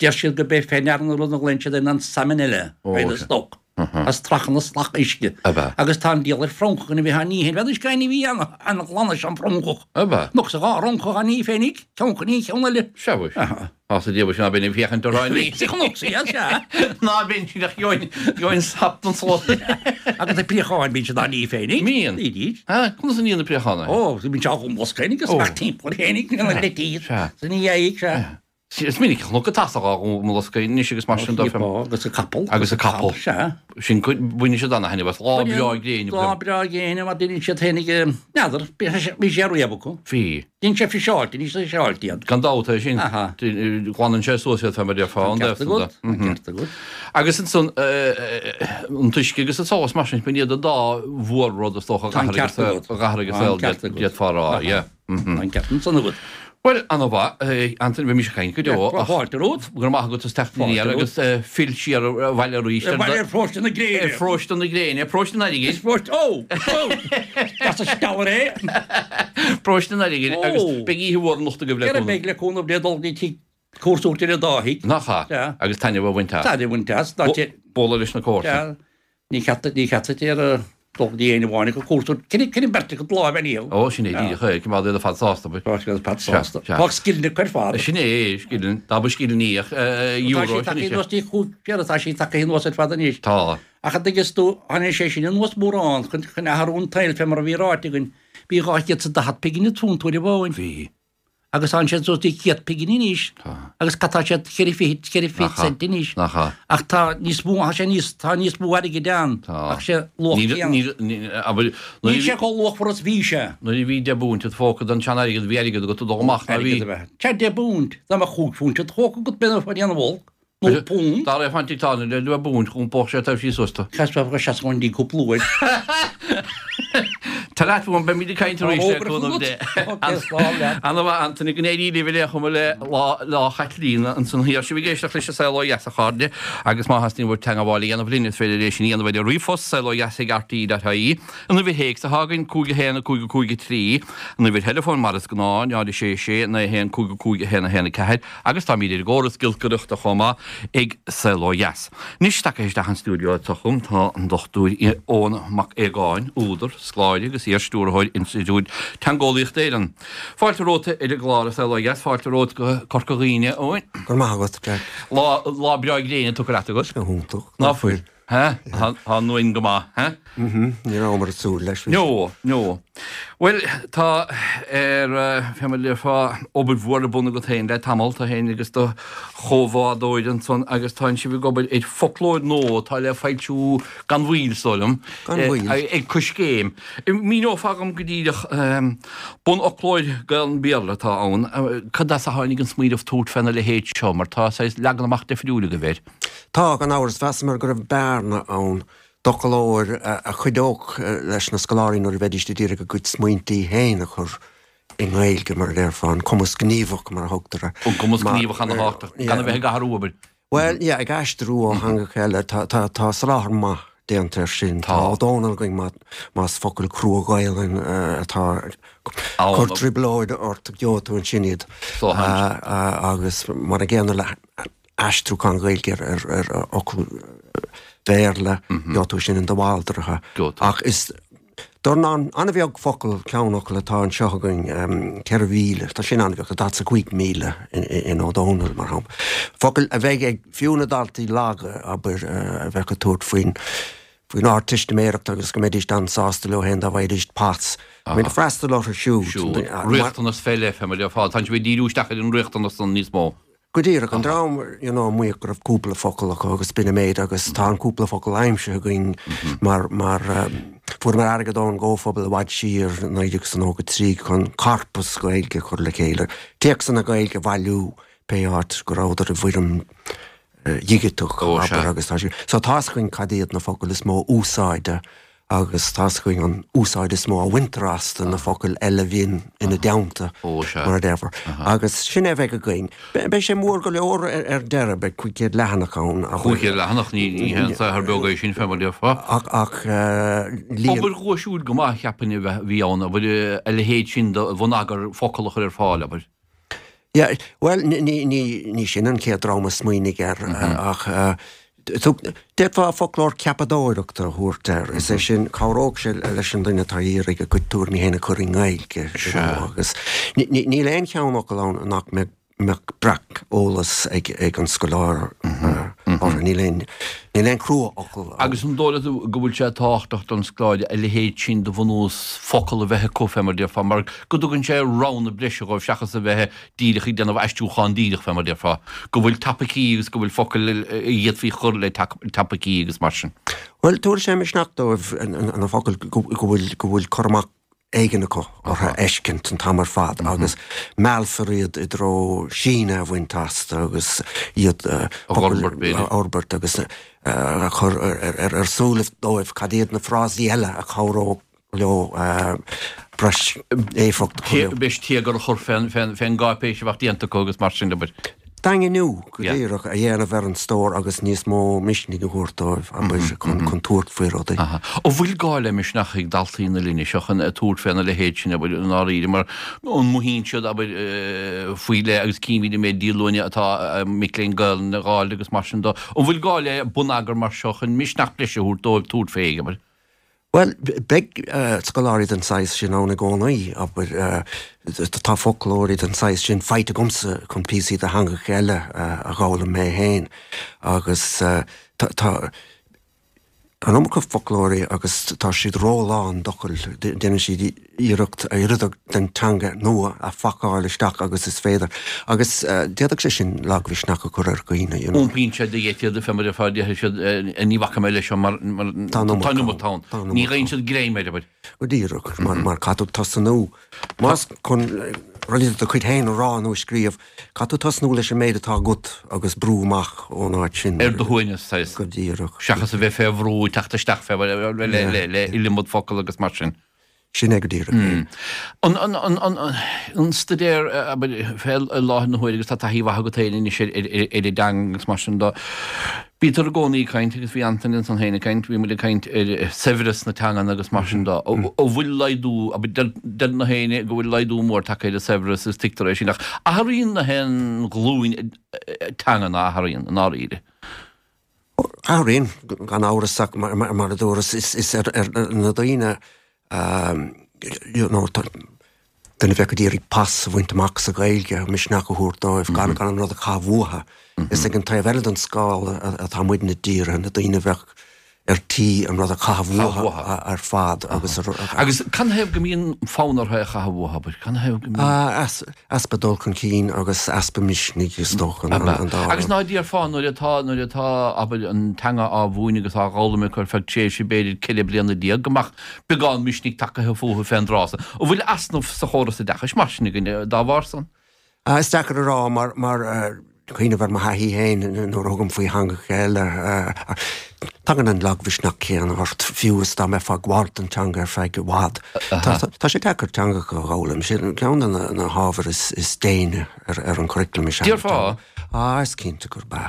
deir siad go b'é fé ndeara an rud a ghlaonn siad air an salmonella, Ó, ar an sea. stoc. As trachan is slach uisce. Ab ea? Agus tá an diabhal ar francach ina bheith á ní féin. Bheadh uisce ní bhí an-ghlan leis an bhfrancach. Ab ea? Nó sa dhá fhrancach á ní féinig, ceann chun ní, ceann eile. Sea, mhuis. Tá sa diabhal sin ná binn ag féachaint orthu ní. Sa chnoc sa iad, sea. Ná binn sin ach gheobhainn, gheobhainn sap don slot. Agus na préacháin bíonn siad á ní féinig. Mbíonn? Bídís. Ha, conas a níonn na préacháin é? Ó, bíonn sé á gcomhlasc féinig agus amach timpeall féinig, na leitís. Sea. Sa ní dheigh, sea. Is minic a chonac an tarsach á mbolscadh anois agus mar sin de. Agus an capall. Agus an capall. Sea. Sin cuid, baineann siad ana-thaitneamh as. Lá breá gréine. Lá breá gréine mar deineann siad féinig, n'fheadar, bhí sé riamh acu. Bhí. Deineann sé friseáilte, ní friseáilte iad. Gan dabht é sin. Aha. Glanann sé suas iad fé mar déarfá, an Ceart deimhin agat, de. ceart agat. Agus ansan, an t-uisce agus an solas mar sin, b'in iad an dá mhór-rud is dócha a Tá an d'athraigh ceart agat. a d'athraigh an Tá an saol, ceart agat. d'fhéadfá a rá, yeah. Tá an ceart ansan agat. Bhuel, ana-mhaith, Antaine, bhí mise ag caint go deo, ach Fáilte romhat. go raibh maith agat as teacht aniar agus fill siar abhaile arís Ar ar Pharóiste na Gréine. Ar Pharóiste na Gréine, Paróiste an Airgid. Is Paróiste, ó! Ó! As an steallar é! Paróiste an Airgid agus beidh oíche mhór anocht agaibh le Ceithre cúnamh. Beidh le cúnamh Dé dul go dtí tigh cúrsa uachtair an dá thigh. Nach ea? Sea. Agus taitneamh a bhaint as. Taitneamh a bhaint as. Dá Bualadh leis na comharsana. Sea. Ní cheart, ní cheart duit ar dul go dtí éinne amháin ag cúrsa, cinneadh beirt acu lámh ar ndíol. Ó, sin é díreach é, coimeád iad ar fad sásta. Tá siad ar fad sásta. Tá scileanna acu ar fad. Sin é, scileanna, dá mba scileanna í ach euro. Tá sí tagtha anuas dtí chúig, séard atá sí tagtha anuas ar fad anois. Tá. Ach an dtuigeas tú, tháinig sé sin anuas mórán chun chun athrú an tsaoil fé mar a bhí ráite againn. Bhí dhá chéad is daichead pingin an phunt uair amháin. Bhí. Agus tánn siad suas dtí céad pingin anois. Tá. Agus cad tá siad ceithre fichid, ceithre fichid cent anois. Nach ea. Ach tá níos mó, tá sé níos, tá níos mó airgid ann. Tá. Ach sé luach Níl, céanna. níl, níl, abair, Níl sé chomh luachmhar is bhí sé. Nuair a bhí deich bpunt id phóca den tsean-airgead, bhí airgead agat ag dul amach, ná bhí? Airgead a bheith. Sea, deich bpunt. Dá mbeadh chúig phunt id phóca agat b'in a dhéanamh olc. Nó punt. Dá raibh an tigh le deich bpunt, dh'iompódh sé taobh síos suas tú. Chas bheadh seasca an dí cúpla uair. Tá leat uaim, beimid ag caint arís le cúnamh Dé. Ana-mhaith Anthony, go n-éirí libh ar aon chuma le Lá Lá Chaitlíona ansan thiar. Sibh ag éisteacht leis an Saol Ó Dheas a chairde agus má theastaíonn uaibh teagmháil a dhéanamh linn is féidir é sin a dhéanamh ar an ríomhphost saolodheas ag rte dot ie, an uimhir théacs atá againn cúig a haon a cúig a cúig a trí, an uimhir theileafóin mar is gnáth, náid a sé sé naoi a haon cúig a cúig a haon a haon a ceathair agus táimid ar an gcóras giolcaireachta chomh maith ag Saol Ó Dheas. Anois tagtha isteach an stiúideo anseo chugam tá an Dochtúir Eoghan Mac Aogáin, údar, scoláire agus iar-stiúrthóir Institiúid Teangeolaíochta Éireann. Fáilte romhat ar an gclár A Saol Ó Dheas, fáilte romhat go Corca Dhuibhne, a Eoin. Go raibh maith agat, Jack. Lá, lá breá gréine tugtha leat agat. Go hiontach. Ná fuil? Hé? Tá an uain go maith, hé? Mhm, ní rabhamar ag súil leis. No, no. Bhuel, tá ar, fé mar a déarfá, obair mhór ar bun agat féin le tamall, tú féin agus do chomhbhádóir ansan agus tánn sibh ag obair ar foclóir nua atá le foilsiú gan mhoill, is dóigh liom, Gan mhoill. ag Coiscéim. Míneofá dhom go díreach, bunfhoclóir Gaelainn-Béarla atá ann, cad as a tháinig an smaoineamh tabhairt féna leithéid seo, mar tá saghas leagan amach difriúil agaibh air. Tá, gan amhras, mheasamar go raibh bearna ann d'fhoclóir a chuideodh leis na scoláirí nuair a bheidís ag iarraidh a gcuid smaointí féin a chur i nGaeilge, mar a déarfá, an cumas gníomhach, mar a thugtar air. An cumas gníomhach ana-thábhachtach, gan a bheith ag athrú, abair. Bhuel, yeah, ag aistriú ó theangacha eile, tá, tá, tá soláthar maith déanta air sin. Tá Ó Dónaill againn má, más focal crua Gaelainn atá ag cur trioblóid ort, gheobhaidh tú ansin iad. Agus mar an gcéanna le aistriúchán Gaeilge ar fhocail Bhéarla, gheobhaidh tú sin in de Bhaldraithe. Ach is dornán an-bheag focal, ceannfhocal atá anseo againn, ceithre mhíle, tá sin an-bheag, tá daichead is a cúig míle in Ó Dónaill, mar shampla. Focail a bheidh ag fiú na daltaí laga, abair, a bheadh ag tabhairt faoin faoin Ardteistiméireacht agus go mbeidís an-sásta leo féin dá bhfaighidís pas. I mean, freastal orthu siúd. Siúd. Riachtanas fé leith, fé mar a déarfá. Tá sibh ag díriú isteach ar an riachtanas san níos mó. Go díreach, an dream you know a maíodh go raibh cúpla focal acu agus b'in an méid agus tá an cúpla focal aimsithe againn mar mar fuaireamar airgead ón gComhphobal i bhfad siar, naoi déag is nócha trí, chun corpas Gaeilge a chur le chéile, téacsanna Gaeilge a bhailiú pé áit go rabhadar i bhfoirm dhigiteach, abair, agus tá siad. So tá's againn cad iad na focail is mó úsáide agus tá's againn an úsáid is mó a bhaintear astu, na focail eile a bhíonn ina dteannta, mar a déarfá. Agus sin é a bheidh againn. Beidh sé mór go leor ar deireadh, beidh cúig chéad leathanach ann. Cúig chéad leathanach, ní haon saothar beag é sin, fé mar a déarfá. Ach, ach líon. Obair dhuaisiúil go maith, cheapfainn, a bhí ann, abair, a leithéid sin de bhonneagar focal a chur ar fáil, abair. Yeah, bhuel, ní, ní, ní sin an chéad dream a smaoinigh air, ach d'fhéadfá foclóir ceapadóireachta a thabhairt air, is é sin, cabhródh sé leis an duine atá ag iarraidh a gcuid tuairimí féin a chur i nGaeilge, you know, agus níl aon cheannfhocal ann nach mbeadh, mbeadh breac-eolas ag, ag an scoláire orthu, níl aon, níl aon chrua-fhocal ann. Agus an dóigh leat go bhfuil sé tábhachtach don scoláire a leithéid sin de bhunús focal a bheith acu, fé mar a déarfá, mar go dtugann sé roghanna breise dhóibh seachas a bheith díreach ag déanamh aistriúchán díreach, fé mar a déarfá, go bhfuil topaicí agus go bhfuil focail a d'fhéadfaí chur le topaicí agus mar sin. Bhuel, tabharfaidh sé misneach dóibh na focail go bhfuil, go bhfuil cur amach éigin acu orthu a fheiscint an t-am ar fad agus meallfar iad i dtreo síneadh a bhaint astu agus iad a fhorbairt agus a chur ar súilibh dóibh cad iad na frásaí eile a chabhródh leo breis éifeacht a chur. Breis téagar a chur fén gcáipéis a bheadh déanta acu agus mar sin de. Daingniú, go díreach, a dhéanamh ar an stór agus níos mó misnigh a thabhairt dóibh, abair, chun tabhairt faoi rudaí. An bhfuil gá le misneach ag daltaí na linne seo chun tabhairt féna leithéid sin, abair, i ndáiríre, mar an mothaíonn siad, abair, faoi leith agus címid an méid díolúine atá mic léinn Gaelainne a dh'fháil agus mar sin de. An bhfuil gá le bonneagar mar seo chun misneach breise a thabhairt dóibh tabhairt fé, abair? Bhuel, beidh scoláirí den saghas sin ann i gcónaí, abair. Tá foclóirí den saghas sin faighte agamsa chun píosaí de theangacha eile a dh'fhoghlaim mé féin agus tá an iomarca foclóirí agus tá siad rólán d'fhocail, déanann siad iarracht a oiread den teanga nua a phacáil isteach agus is féidir agus d'fhéadfadh sé sin lagmhisneach a chur ar dhaoine, you know. Iompaíonn sé de gheit iad, fé mar a déarfaidh siad, ní bhacfaidh mé leis seo mar tá an iomarca ann. Ní gheibheann siad greim air, abair. Go díreach, mar mar caithfidh tú tosnú. Más chun rudaí de do chuid féin a rá nó a scríobh, caithfidh tú tosnú leis an méid atá agat agus brú amach ón áit sin. Ar do shuaimhneas, saghas. Go díreach. Seachas a bheith fé bhrú, teacht isteach fé le le iliomad focal agus mar sin. Sin é go díreach é. An, an, an, an, an staidéar, abair, fé láthair na huaire agus tá taithí mhaith agat féin anois ar, ar, ar, ar an dteanga agus mar sin de, bítear i gcónaí ag caint agus bhí Antaine ansan féin ag caint, bhí muid ag caint ar saibhreas na teangan agus mar sin de. An bhfuil laghdú, abair, deir, deir na héinne go bhfuil laghdú mór tagtha ar an saibhreas is tuigtear é sin ach athraíonn na haon ghlúin teangan a athraíonn i ndáiríre. Athraíonn, gan amhras ach mar, mar, mar a dúras, is, is ar, ar na daoine you know, duine a bheadh ag iarraidh pas a bhaint amach sa Ghaeilge, misneach a thabhairt dóibh, gan gan an rud a chaitheamh uathu. Is ag an taobh eile den scála atá muidne dírithe, na daoine a bheadh ar tí an rud a chaitheamh uathu ar fad agus Agus canathaobh go mbíonn fonn orthu é a chaitheamh uathu, abair? Canathaobh go mbíonn? Easpa dul chun cinn agus easpa misnigh is dócha an dá rud. Agus ná déarfá nuair atá, nuair atá, abair, an teanga á mhúineadh agus á dh'fhoghlaim acu ar feadh tréimhse b'fhéidir ceithre bliana déag, go mbeadh beagán misnigh tagtha fúthu fén dtráth san. An bhfuil easnamh sa chóras oideachais mar sin againn dá bharr san? Is deacair a rá mar, mar cuimhneamh ar mo thaithí féin nuair a thugaim faoi theangacha eile, tagann an lagmhisneach céanna ort, fiú is dá mbeifeá ag gabháil don teanga ar feadh i bhfad. Tá sé deacair teangacha a dh'fhoghlaim. Sin ceann de na hábhair is déine ar an churaclam is ea. Déarfá? Á, is cinnte gurb ea.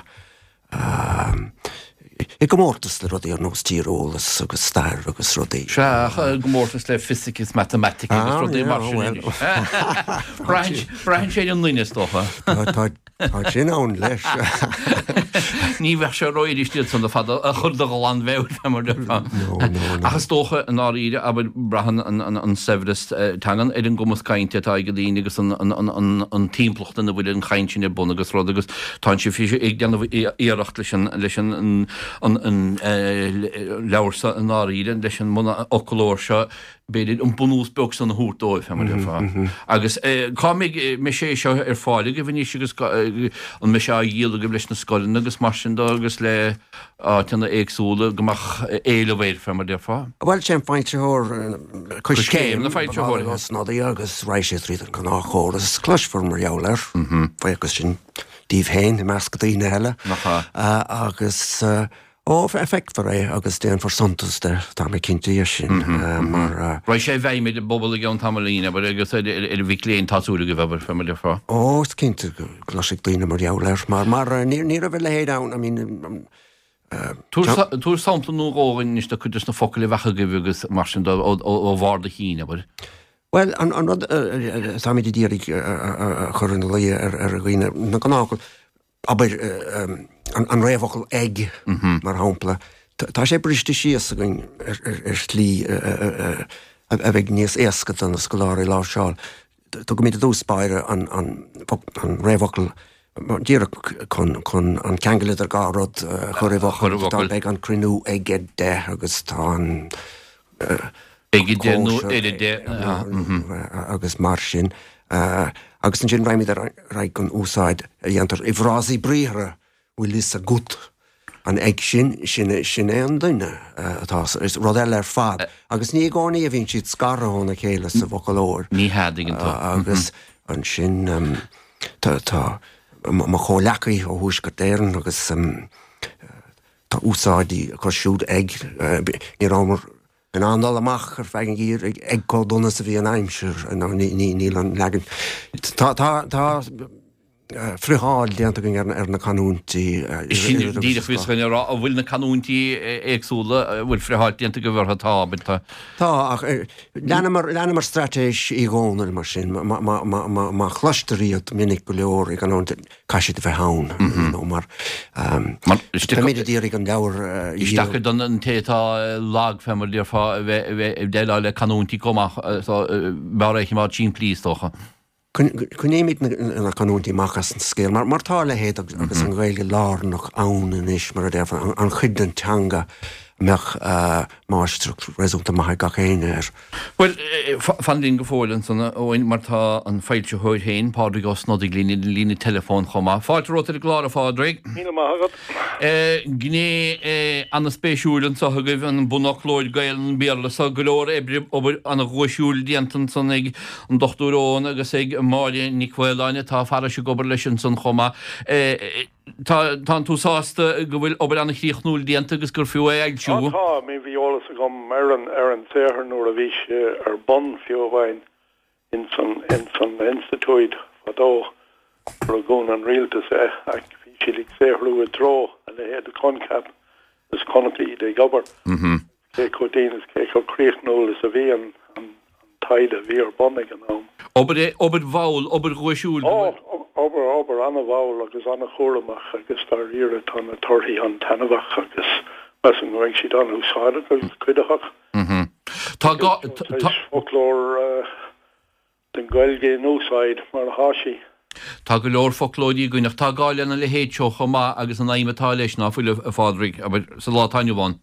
I gcomórtas le rudaí ar nós tíreolas agus stair agus rudaí. Sea, ach i gcomórtas le fisic is matamaitic agus rudaí mar sin anois. Braitheann sé ar an nduine, is dócha. Tá tá sin ann leis. Ní bheadh sé rófhuirist iad san ar fad a chur de ghlanmheabhair, fé mar a déarfá. No, no, no. Ach is dócha, i ndáiríre, abair, braitheann an saibhreas teangan ar an gcumas cainte atá ag daoine agus an timpeallacht ina bhfuil an chaint sin ar bun agus rud agus tá sibh ag déanamh iarracht leis an leis an an an leabhar seo i ndáiríre, leis an mbunfhoclóir seo, b'fhéidir an bunús beag san a thabhairt dóibh, fé mar a déarfá. Agus cá mbeidh mbeidh sé seo ar fáil agaibh anois agus an mbeidh sé á dhíol agaibh leis na scoileanna agus mar sin de agus le áiteanna éagsúla go mbeadh éileamh air, fé mar a déarfá? Bhuel, sé an foilsitheoir Coiscéim na foilsitheoirí. Ó Snodaigh agus raghaidh sé tríd an ngnáthchóras. Cloisfear mar gheall air, buíochas sin díbh féin i measc daoine eile. Nach ea? Agus, ó, feicfear é agus déanfar suntas de, tá mé cinnte dhe sin, mar. Raghaidh sé i bhfeidhm ar an bpobal i gceann tamaillín, abair, agus ar ar mhic léinn, tá súil agaibh, abair, fé mar a déarfá. Ó, is cinnte go gcloisfidh daoine mar gheall air, mar, mar ní raibh a leithéid ann, I mean, Tabhair sampla nó dhó dhúinn anois de chuid des na focail a bheadh agaibh agus mar sin de ó bharr do chinn, abair. Bhuel, an rud atáimid ag iarraidh a chur ina luí ar dhaoine, na gnáthfhocail, abair, an réamhfhocal 'ag', mar shampla, tá sé briste síos againn ar shlí a bheidh níos éasca do na scoláirí láimhseáil. Tugaimid i dtús báire an réamhfhocal díreach chun an ceangal idir dhá rud a chur i bhfocal. Beidh an cruinniú ag a deich agus tá an Ag a deich nó ar a deich. Agus mar sin. Agus ansin raghaimid ar aghaidh an úsáid a dhéantar i bhfrásaí briathartha, bhfuil fhios agat an ag sin, sin é an duine atá, is rud eile ar fad. Agus ní i gcónaí a bhíonn siad scartha óna chéile sa bhfoclóir. Ní hea, tuigeann tú. Agus ansin tá tá mo chomhleacaí ó Thuaisceart Éireann agus tá úsáidí acu siúd ag, ní rabhamar in ann dul amach ar feadh an gheimhridh ag chomh dona is a bhí an aimsir, nó níl an leagan, tá tá tá friotháil déanta againn ar na canúintí. Sin díreach a bhíos chun a rá, an bhfuil na canúintí éagsúla, an bhfuil friotháil déanta agaibh orthu? Tá, abair, tá. Tá, ach leanamar, leanamar straitéis Uí Dhónaill mar sin, má chloistear iad minic go leor i gcanúint, caithfidh siad a bheith ann, you know, mar táimid ag iarraidh an leabhar a Is deacair don té atá lag, fé mar a déarfá, a bheith ag déileáil le canúintí chomh maith, so b'fhearr é a choimeád simplí, is dócha. Coinnímid na canúintí amach as an scéal, mar tá a leithéid agus an Ghaeilge lárnach ann anois, mar a déarfá, an chuid den teanga a mbeadh máistreacht réasúnta maith ag gach éinne air. Bhuel, fan linn go fóill ansan, a Eoin, mar tá an foilsitheoir féin, Pádraig Ó Snodaigh, linn ar an líne teileafóin chomh maith. Fáilte romhat ar an gclár, a Phádraig. Míle maith agat. Gné an-spéisiúil anso agaibh, an bunfhoclóir Gaelainn-Béarla so. Go leor oibre, obair an-dhuaisiúil déanta ansan ag an Dochtúir Eoghan agus ag Máire Nic Mhaoláin atá fairis ag obair leis ansan chomh maith. Tá, tánn tú sásta go bhfuil obair an-chríochnúil déanta agus gur fiú é a fhoilsiú? Á tá, I mean bhí eolas agam agam ar an ar an saothar nuair a bhí sé ar bun fiú amháin ins an ins an institiúid fadó nuair a dhún an rialtas é ach bhí siad ag saothrú i dtreo a leithéid de coincheap is chonac iad ag obair. Cé chomh dian is cé chomh críochnúil is a bhí an an taighde a bhí ar bun ag an am. Obair obair mhall, obair dhuaisiúil. Ó, obair obair an-mhall agus an-chúramach agus dáiríre tá na torthaí an-taitneamhach agus measaim go mbeidh siad an-úsáideach agus cuiditheach. Tá gá foclóir den Ghaeilge in úsáid mar atá sí. Tá go leor foclóirí againn ach tá gá lena leithéid seo chomh maith agus an aidhm atá leis ná fuil a Phádraig, abair, sa lá atá inniu ann.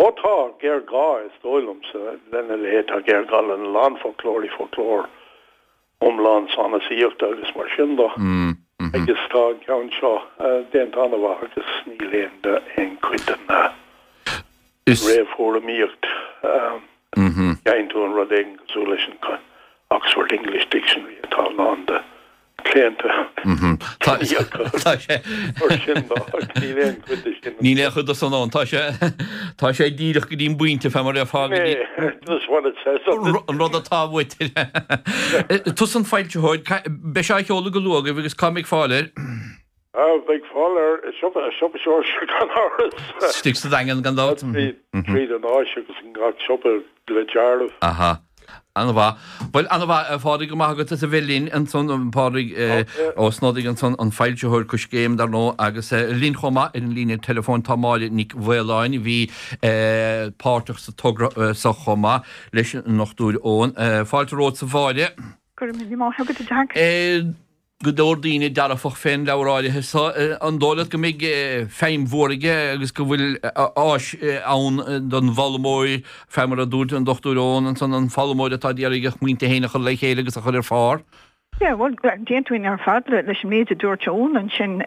Ó tá géarghá is dóigh liomsa lena leithéid, tá géarghá lena lán foclóirí, foclóir iomlán sanasaíochta agus mar sin de. Agus tá an ceann seo déanta an-mhaith agus níl aon aon chuid den réamhthuairimíocht. Faigheann tú an rud éigin cosúil leis an Oxford English Dictionary atá lán de chlaonta Tá sé níl aon chuid de sin. Níl aon chuid de san ann. Tá sé tá sé díreach go dtí an bpointe fé mar a déarfá go dtí Just what it says an rud atá uait. Tusa an foilsitheoir, beidh sé á sheoladh go luath agaibh agus cá mbeidh fáil air? Beidh fáil air i siopa siopa Seoirse gan amhras. Istigh sa Daingean gan dabht. Tríd an áis agus in gach siopa le dealramh. Aha. An-mhaith. Bhuel, an-mhaith, a Phádraig, go maith agat as a bheith linn ansan, Pádraig Ó Snodaigh ansan, an foilsitheoir Coiscéim, dar ndóigh, agus linn chomh maith ar an líne teileafóin tá Máire Nic Mhaoláin, a bhí páirteach sa togra seo chomh maith leis an nDochtúir Eoghan. Fáilte romhat a Mháire. Go raibh míle maith agat, a Jack. go leor daoine dearfach fén leabhar áirithe so. An dóigh leat go mbeidh feidhm mhór aige agus go bhfuil áis ann don bhfoghlaimeoir, fé mar a dúirt an Dochtúir Eoghan ansan, an foghlaimeoir atá ag iarraidh a smaointe féin a chur le chéile agus a chur ar phár? Yeah, bhuel, d'aontóinn ar fad leis an méid a dúirt Eoghan ansin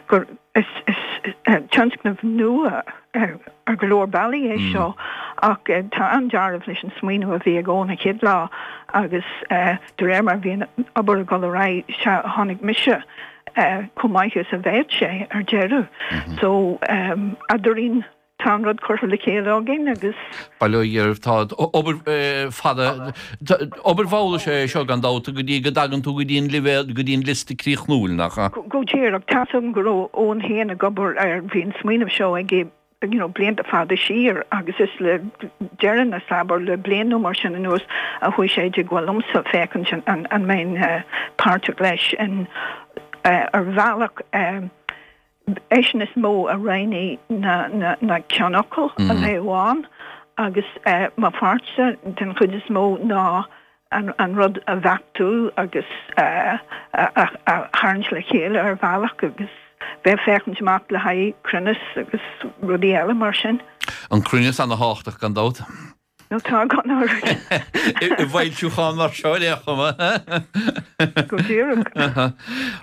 gur is tionscnamh nua ar go leor bealaí é seo ach tá an-dealramh leis an smaoineamh a bhí ag Eoghan an chéad lá agus de réir mar a bhí an obair ag dul ar aghaidh, sea, tháinig mise chomh maith is a bheadh sé ar deireadh. So, eadrainn, tá an rud curtha le chéile againn agus. Bail ó Dhia oraibh, tá obair fada, obair mhall is ea é seo gan dabht go dtí go dtagann tú go dtí an leibhéal, go dtí an liosta críochnúil, nach ea? Go díreach, tá's agam go raibh Eoghan féin ag obair air, bhí an smaoineamh seo aige you know blianta fada siar agus is le deireanas, abair le bliain nó mar sin anuas a chuaigh sé i dteagmháil liomsa féachaint an an mbeinn páirteach leis in ar bhealach eisean is mó a roghnaigh na na na ceannfhocail a bheadh ann agus mo pháirtse den chuid is mó ná an an rud a bheachtú agus a a tharraingt le chéile ar bhealach agus bheith féachaint amach le haghaidh cruinneas agus rudaí eile mar sin. An cruinneas ana-thábhachtach gan dabht. Nó tá gan amhras. I bhfoilsiúchán mar seo ar aon chuma. Go díreach.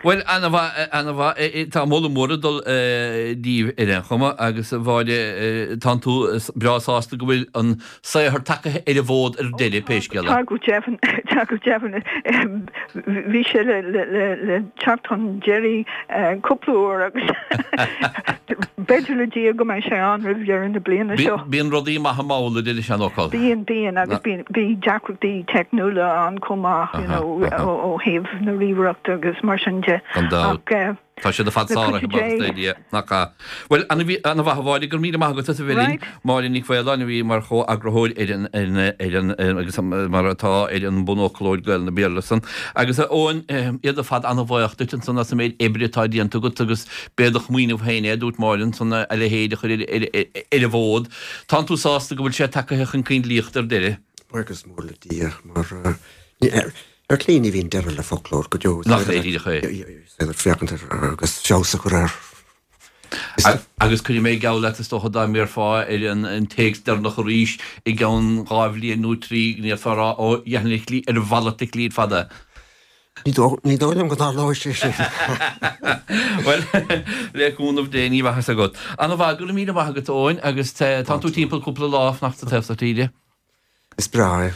Bhuel, ana-mhaith, ana-mhaith. Tá moladh mór ag dul díbh ar aon chuma agus a Mháire, tánn tú breá sásta go bhfuil an saothar tagaithe ar an bhfód ar deireadh, pé scéal é. Tá go deimhin, tá go deimhin. Bhí sé le, le, le, le teacht chun deiridh cúpla uair agus b'fhéidir le Dia go mbeidh sé ann roimh dheireadh na bliana seo. Bíonn rudaí maithe mall, a deir an seanfhocal. Bíonn, bíonn agus bíonn, bhí deacrachtaí teicniúla ann chomh maith, you know, ó thaobh na ríomhaireachta agus mar sin de. Gan dabht. Ach Tá siad ar fad sáraithe, buíochas le Dia. Nach ea? Bhuel, ana-mhaith a Mháire, go raibh míle maith agat as a bheith linn. Máire Nic Mhaoláin a bhí mar chomheagarthóir ar an, ar an, ar an, agus mar atá ar an mbunfhoclóir Gaelainne-Béarla san. Agus a Eoin, iad ar fad ana-bhuíoch duit ansan as an méid oibre atá déanta agat agus b'é do shmaoineamh féin é, a dúirt Máire ansan, a leithéid a chur ar, ar, ar an bhfód. Tánn tú sásta go bhfuil sé tagaithe chun coinlíochta ar deireadh? Buíochas mór le Dia mar ar shlí ní bhíonn deireadh le foclóir go deo. Nach é díreach é. Is féidir féachaint air agus feabhas a chur air. Agus cuirfidh mé geall leat is dócha dá mbéarfá ar an téacs deireanach arís i gceann dhá bhliain nó trí go ndéarfá a rá ó dheifnitlí ar mhalairt a shlí fada. Ní dóigh liom go dtarlóidh sé sin. Bhuel, le cúnamh Dé, ní bheadh a fhios agat. Ana-mhaith, go raibh míle maith agat, Eoin, agus tánn tú timpeall cúpla lá ag fanacht sa taobh seo tíre. Is breá é.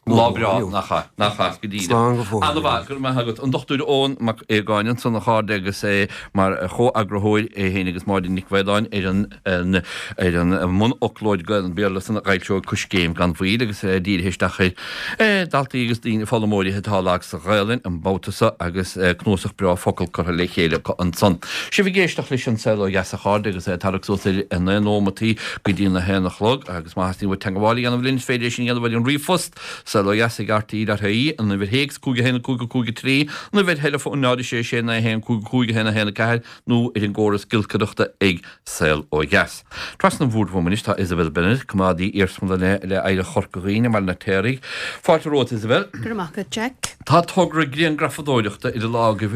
Lá breá, nach ea, nach ea, go díreach. Slán go fóill. Ana-mhaith, go raibh maith agat. An Dochtúir Eoin Mac Aogáin ansan, a chairde, agus é mar chomheagarthóir, é féin agus Máire Nic Mhaoláin, ar an ar an mbunfhoclóir Gaelainn-Béarla san a fhoilseoidh Coiscéim gan mhoill agus é dírithe isteach ar dhaltaí agus daoine, foghlaimeoirí atá lag sa Ghaelainn an babhta seo agus cnuasach breá focal curtha le chéile acu ansan. Sibh ag éisteacht leis An Saol Ó Dheas a chairde agus é ag tarrac suas ar a naoi nóimeataí go dtí a haon a chlog agus má theastaíonn uait teagmháil a dhéanamh linn is féidir é sin a dhéanamh ar an ríomhphost saolodheas ag rte dot ie, an uimhir théacs cúig a haon cúig a cúig a trí, an uimhir theileafóin náid a sé sé naoi a haon cúig a cúig a haon a haon a ceathair nó ar an gcóras giolcaireachta ag Saol Ó Dheas. Trasna an bhoird uaim anois tá Isabel Bennett, coimeádaí iarsmalainne le Oidhreacht Chorca Dhuibhne i mBaile an Fheirtéaraigh. Fáilte romhat, Isabel. Go raibh maith agat, Jack. Tá togra grianghrafadóireachta idir lámha agaibh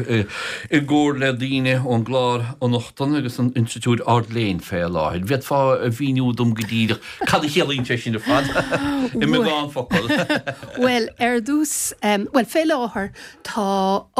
i gcomhar le daoine ón gClár Fhionnachtana agus an Institiúid Ard-Léinn fé láthair. Bhféadfá a mhíniú dom go díreach cad a chiallaíonn sé sin ar fad i mbeagán focal? Bhuel, ar dtús, bhuel, fé láthair tá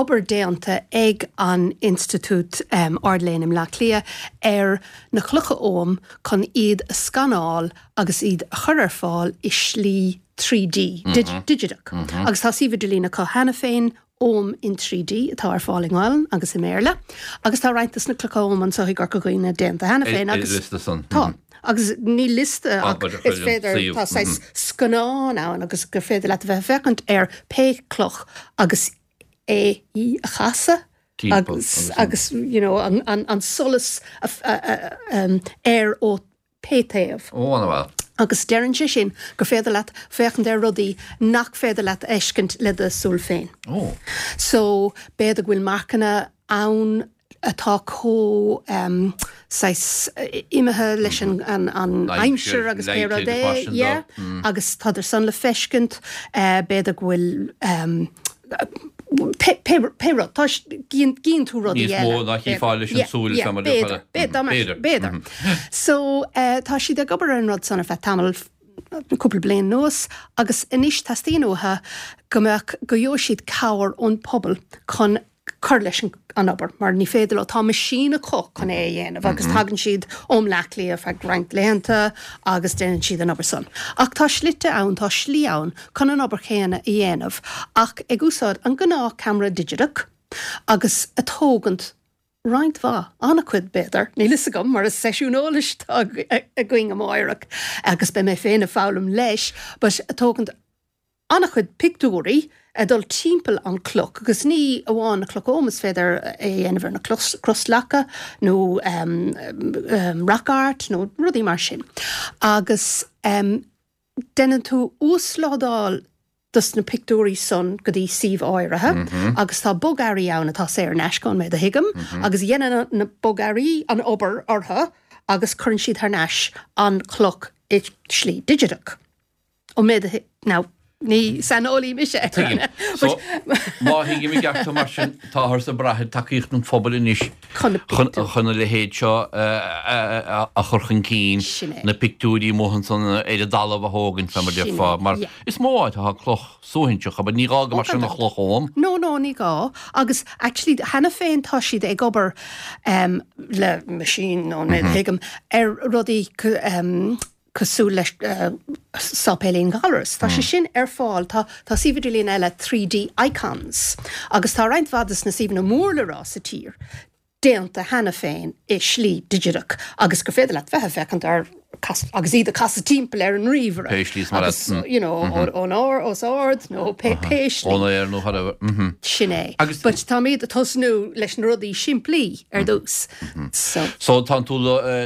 obair déanta ag an Institiúid Ard-Léinn i mBleá Cliath ar na clocha Oghaim chun iad a scanáil agus iad a chur ar fáil i slí trí D, digiteach. Agus tá suíomh idirlín acu cheana féin, Ogham in trí D, atá ar fáil i nGaelainn agus i mBéarla. Agus tá roinnt de na clocha Oghaim anseo i gCorca Dhuibhne déanta cheana féin agus. Liosta san. Tá. Agus ní liosta ach is féidir, tá saghas scannán ann agus gur féidir leat a bheith ag féachaint ar pé cloch agus é, í a chasadh agus, agus you know, an, an, an solas air ó pé taobh. Ó, an-mhaith. Agus deireann sé sin gur féidir leat féachaint ar rudaí nach féidir leat a fheiscint le do súil féin. Ó. So, b'fhéidir go bhfuil marcanna ann atá chomh um, saghas imithe leis an, an, an aimsir agus pé rud é, yeah, mm. agus tádar san le feiscint, uh, b'fhéidir go bhfuil um, pé rud, tá gíonn tú rudaí eile. Níos mó ná chífeá leis an súil fé mar B'fhéidir, b'fhéidir, b'fhéidir. So tá siad ag obair ar an rud san ar feadh tamall, cúpla bliain anuas, agus anois teastaíonn uathu go mbeadh, go gheobhadh siad cabhair ón pobal chun cur leis an obair, mar ní féidir leo, tá meaisín acu chun é a dhéanamh agus tagann siad ó Bhleá Cliath ar feadh roinnt laethanta agus déanann siad an obair san. Ach tá slite ann, tá slí ann chun an obair chéanna a dhéanamh ach ag úsáid an gnáth ceamara digiteach agus a tógaint roinnt mhaith, an-chuid b'fhéidir, níl fhios agam mar is seisiún eolais atá againn amáireach agus beidh mé féin ag foghlaim leis, but a tógaint an-chuid pictiúirí ag dul timpeall an cloch agus ní amháin na clocha Oghaim, is féidir é a dhéanamh ar na crosleacha nó rock art nó rudaí mar sin. Agus déanann tú uaslódáil dos na pictiúirí san go dtí suíomh áirithe agus tá bogearraí ann atá saor in aisce ón méid a thuigim agus dhéanann na bogearraí an obair orthu agus cuireann siad thar n-ais an chloch i slí digiteach. Ón méid a now ní saineolaí mise. Tuigim. So, má thuigim i gceart tú mar sin, táthar ag brath ar tacaíocht an phobail anois Chun na chun pictiúir. chun a leithéid seo a chur chun cinn, Sin é. na pictiúirí amuigh ansan ar an dtalamh a thógaint, fé mar Sin é, déarfá, mar yeah. is mó áit atá cloch suaithinseach, abair, ní gá go Ó, mbeadh sé gan ina dabht. chloch Oghaim. No, no, ní gá. Agus actually, cheana féin tá siad ag obair um, le machine, ón méid a thuigim, ar rudaí um, cosúil le Sáipéilín Ghallarus. Tá sé sin ar fáil, tá tá suíomh idirlín eile trí D Icons agus tá roinnt mhaith de na suíomhanna mór le rá sa tír déanta cheana féin i slí digiteach agus gur féidir leat bheith ag féachaint ar agus iad a casadh timpeall ar an ríomhaire. Pé slí is mar Agus, you know, ón ard, os ard nó pé pé slí. Ón aer nó whatever. Sin é. Agus- But táimid ag tosnú leis na rudaí simplí ar dtús. So. So tá tú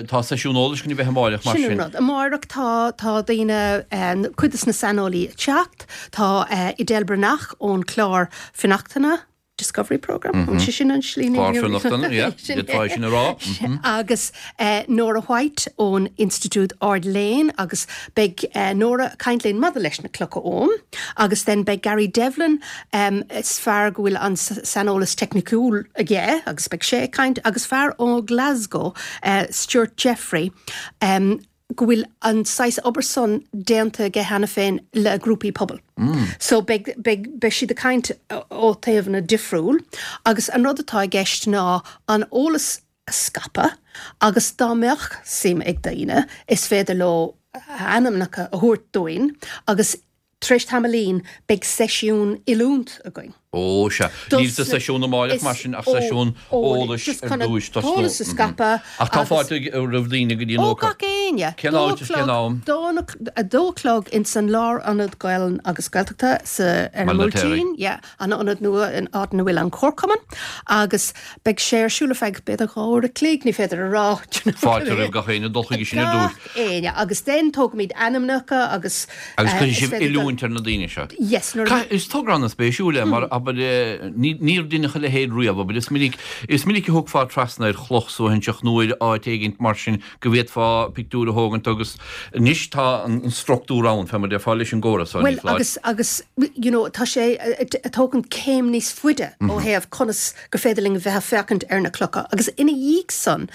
tá seisiún eolais chun a bheith amáireach mar Sin an sin. rud. Amáireach tá tá daoine eh, cuid de na saineolaí ag teacht, tá eh, Edel Breathnach ón clár Fionnachtana, Discovery Programme, an sé sin an slí Clár Fionnachtana, yeah, Sin d'fhéadfá é. sin a rá. Agus eh, Nora White ón Institiúid Ard-Léinn agus beidh eh, Nora ag caint linn maidir leis na clocha Oghaim agus then beidh Gary Devlin um, is fear go bhfuil an saineolas teicniúil aige agus beidh sé ag caint agus fear ó Glasgow uh, Stuart Jeffrey um, go bhfuil an saghas obair san déanta aige cheana féin le grúpaí pobail. Mm. So beidh, beidh, beidh siad ag caint ó taobhanna difriúil agus an rud atá i gceist ná an eolas a scaipeadh agus dá mbeadh suim ag daoine is féidir leo ainmneacha a thabhairt dúinn agus tar éis tamaillín beidh seisiún oiliúint againn. Ó, sea. Níl sa seisiún amáireach mar sin ach seisiún eolais ar dtúis tosnú. Eolas a scaipeadh. Ach tá fáilte roimh daoine go dtí an Ó, ócáid. gach éinne. Cén áit is cén am? A dó a chlog ins an Lárionad Gaelainne agus Gaeltachta sa ar an Baile na Téaraí. mBuailtín, yeah, an ionad nua in áit ina bhfuil an Comharchumann agus beidh sé ar siúl ar feadh b'fhéidir dhá uair a chloig, ní féidir a rá, do you know. Fáilte roimh gach éinne dul chuige sin ar dtús. Gach éinne agus then tógfaimid ainmneacha agus Agus eh, cuirfidh is sibh féidir dul- oiliúint ar na daoine seo. Yes, nuair a Ca- Is togra an-spéisiúil é mar abair eh, ní- níor deineadh a leithéid riamh, abair is minic is minic a thiocfá trasna ar chloch suaithinseach nó ar áit éigint mar sin go bhféadfá pictiúr a thógaint agus anois tá an an struchtúr ann fé mar a déarfá leis an gcóras so ní Well, foláir. agus agus you know, tá sé ag tógaint céim níos faide ó thaobh conas gur féidir linn bheith ag féachaint ar na clocha. Agus ina dhiaidh san,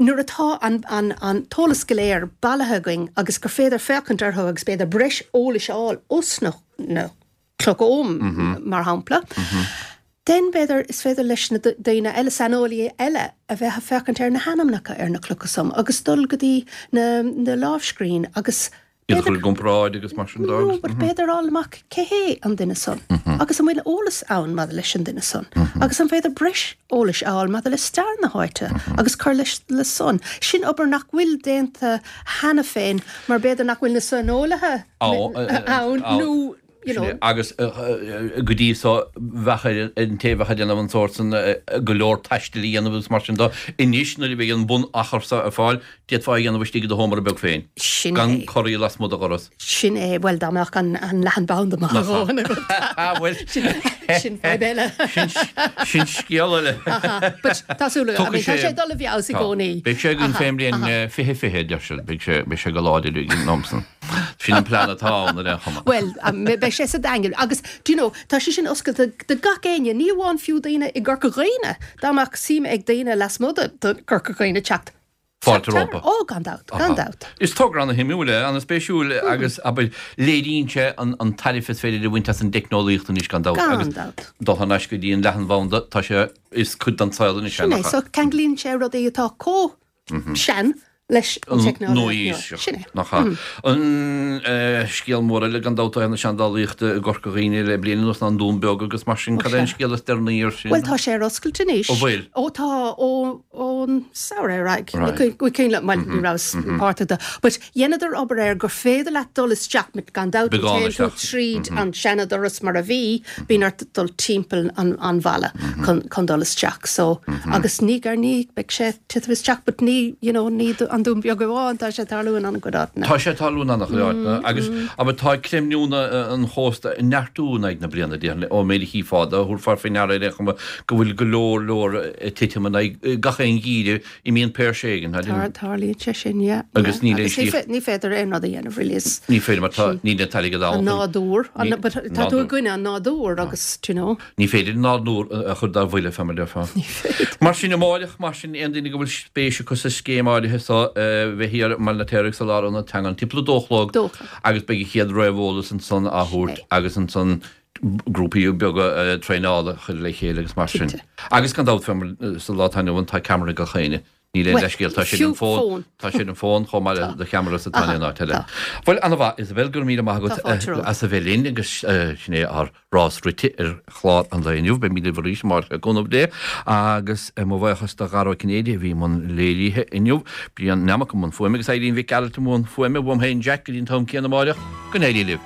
nuair atá an, an, an t-eolas go léir bailithe againn agus gur féidir féachaint orthu agus b'fhéidir breis eolais a fháil os na, na clocha oghaim, mar shampla, then b'fhéidir is féidir leis na daoine eile saineolaithe eile a bheith ag féachaint ar na hainmneacha ar na clocha san agus dul go dtí na, na lámhscríbhinní agus Iad a chur i gcomparáid agus mar sin de No, agus. but b'fhéidir fháil amach cé hé an duine san agus an bhfuil eolas ann maidir leis an duine san agus an féidir breis eolais a fháil maidir le stair na háite agus cur leis le san. Sin obair nach bhfuil déanta cheana féin mar b'fhéidir nach bhfuil na saineolaithe ann nó you know, Agus go dtí so bheadh ar an té a bheadh ag déanamh an sórt san go leor taistil a dhéanamh agus mar sin de. Anois nuair a bheidh an bunachar seo ar fáil, d'fhéadfá a dhéanamh istigh i do sheomra beag féin. Sin Gan é. corraí lasmuigh do dhoras. Sin é, bhuel dá mbeadh an, an leathanbhanda maith Nach ea. dhóthain agat. Ah, bhuel. Sin, sin fadhb eile. Sin, sin scéal eile. Aha, but tá súil agam, I mean, tá sé ag dul i bhfeabhas i Tá. gcónaí. Beidh sé againn Aha, fén mbliain aha. fiche fiche, deir siad. Beidh sé, beidh sé go láidir ag an am san. Sin an plean atá ann ar aon chuma. Well, um, beidh sé sa Daingean. Agus, do you know, tá sé sin oscailte do gach éinne, ní amháin fiú daoine i gCorca Dhuibhne, dá mbeadh suim ag daoine lasmuigh de de Chorca Dhuibhne teacht. Fáilte rompu. Ó, gan dabht, gan dabht. Is togra an-shuimiúil é, an-spéisiúil agus abair léiríonn sé an, an tairbhe is féidir a bhaint as an dteicneolaíocht anois gan dabht. Gan Agus dabht. dul thar n-ais go dtí an leathanbhanda, tá sé is cuid den saol anois é, Sin é, nach ea? so ceanglaíonn sé rudaí atá chomh sean leis an teicneolaíocht Nua-aoiseach. nua. Sin é. Nach ea. An eh, scéal mór eile gan dabht na seandálaíochta i gCorca Dhuibhne le bliain anuas ná an Dún Beag agus mar sin cad é an sea. scéal is deireanaí air sin? Well, tá sé ar oscailt anois. Ó, bhfuil? Ó, tá ó ón samhradh ar aghaidh. Right. Ní cuimhin liom, well, ní rabhas páirteach de. But dheineadar obair air gur féidir leat dul isteach mit gan dabht Beagán téann tú isteach. tríd an seandoras mar a bhí, bíonn ort dul timpeall an, an bhalla chun, chun dul isteach. So, agus ní ar ní beidh sé titim isteach, but ní, you know, ní an Dún Beag amháin, tá sé ag tarlú in an-chuid áiteanna. Tá sé ag tarlú in an-chuid áiteanna agus abair tá creimniú an chósta ag neartú in aghaidh na bliana déarfainn ón méid a chífeá de thabharfá faoi ndeara ar aon chuma go bhfuil go leor leor ag titim in aghaidh gach aon gheimhreadh imíonn péirse éigin. Tar tarlaíonn sé sin, yeah. Agus yeah. níl aon Agus ní slí- fé- ní féidir aon rud a dhéanamh really is Ní féidir mar tá níl an t-airgead an ann. nádúr, an- Ní- but tá tú nádúr. i gcoinne an nádúr agus, you know. Ní féidir nádúr a chur dár bhuille fé mar a déarfá. Mar sin amáireach, mar sin aon duine go bhfuil spéis acu sa scéim áirithe so bheith thiar i mBaile na Téaraigh sa Lárionad Teanga timpeall a dó a chlog Dó a chlog. agus beidh an chéad réamheolas ansan á thabhairt Sé. agus ansan grúpaí beaga traenála a chur le chéile agus mar sin. Cinnte. Agus gan dabht fé mar sa lá atá inniu ann tá ceamara ag gach éinne. Níl aon Well, leithscéal, tá sé fiú an fón, fón. tá sé an fón chomh maith le do cheamara sa Aha, tá an áit eile. tá. Bhuel an-mhaith Isabel go raibh míle maith agat Tá fáilte romhat. as a bheith linn agus sin é ár rás rite ar chlár an lae inniu, beimid libh arís amárach le cúnamh Dé agus mo bhuíochas do Dhara Ó Cinnéide a bhí i mbun léirithe inniu, Brian Nammock i mbun fuaime agus Eileen Mhic Gearailt i mbun fuaime, uaim féin Jack go dtí an t-am céanna amárach, go n-éirí libh.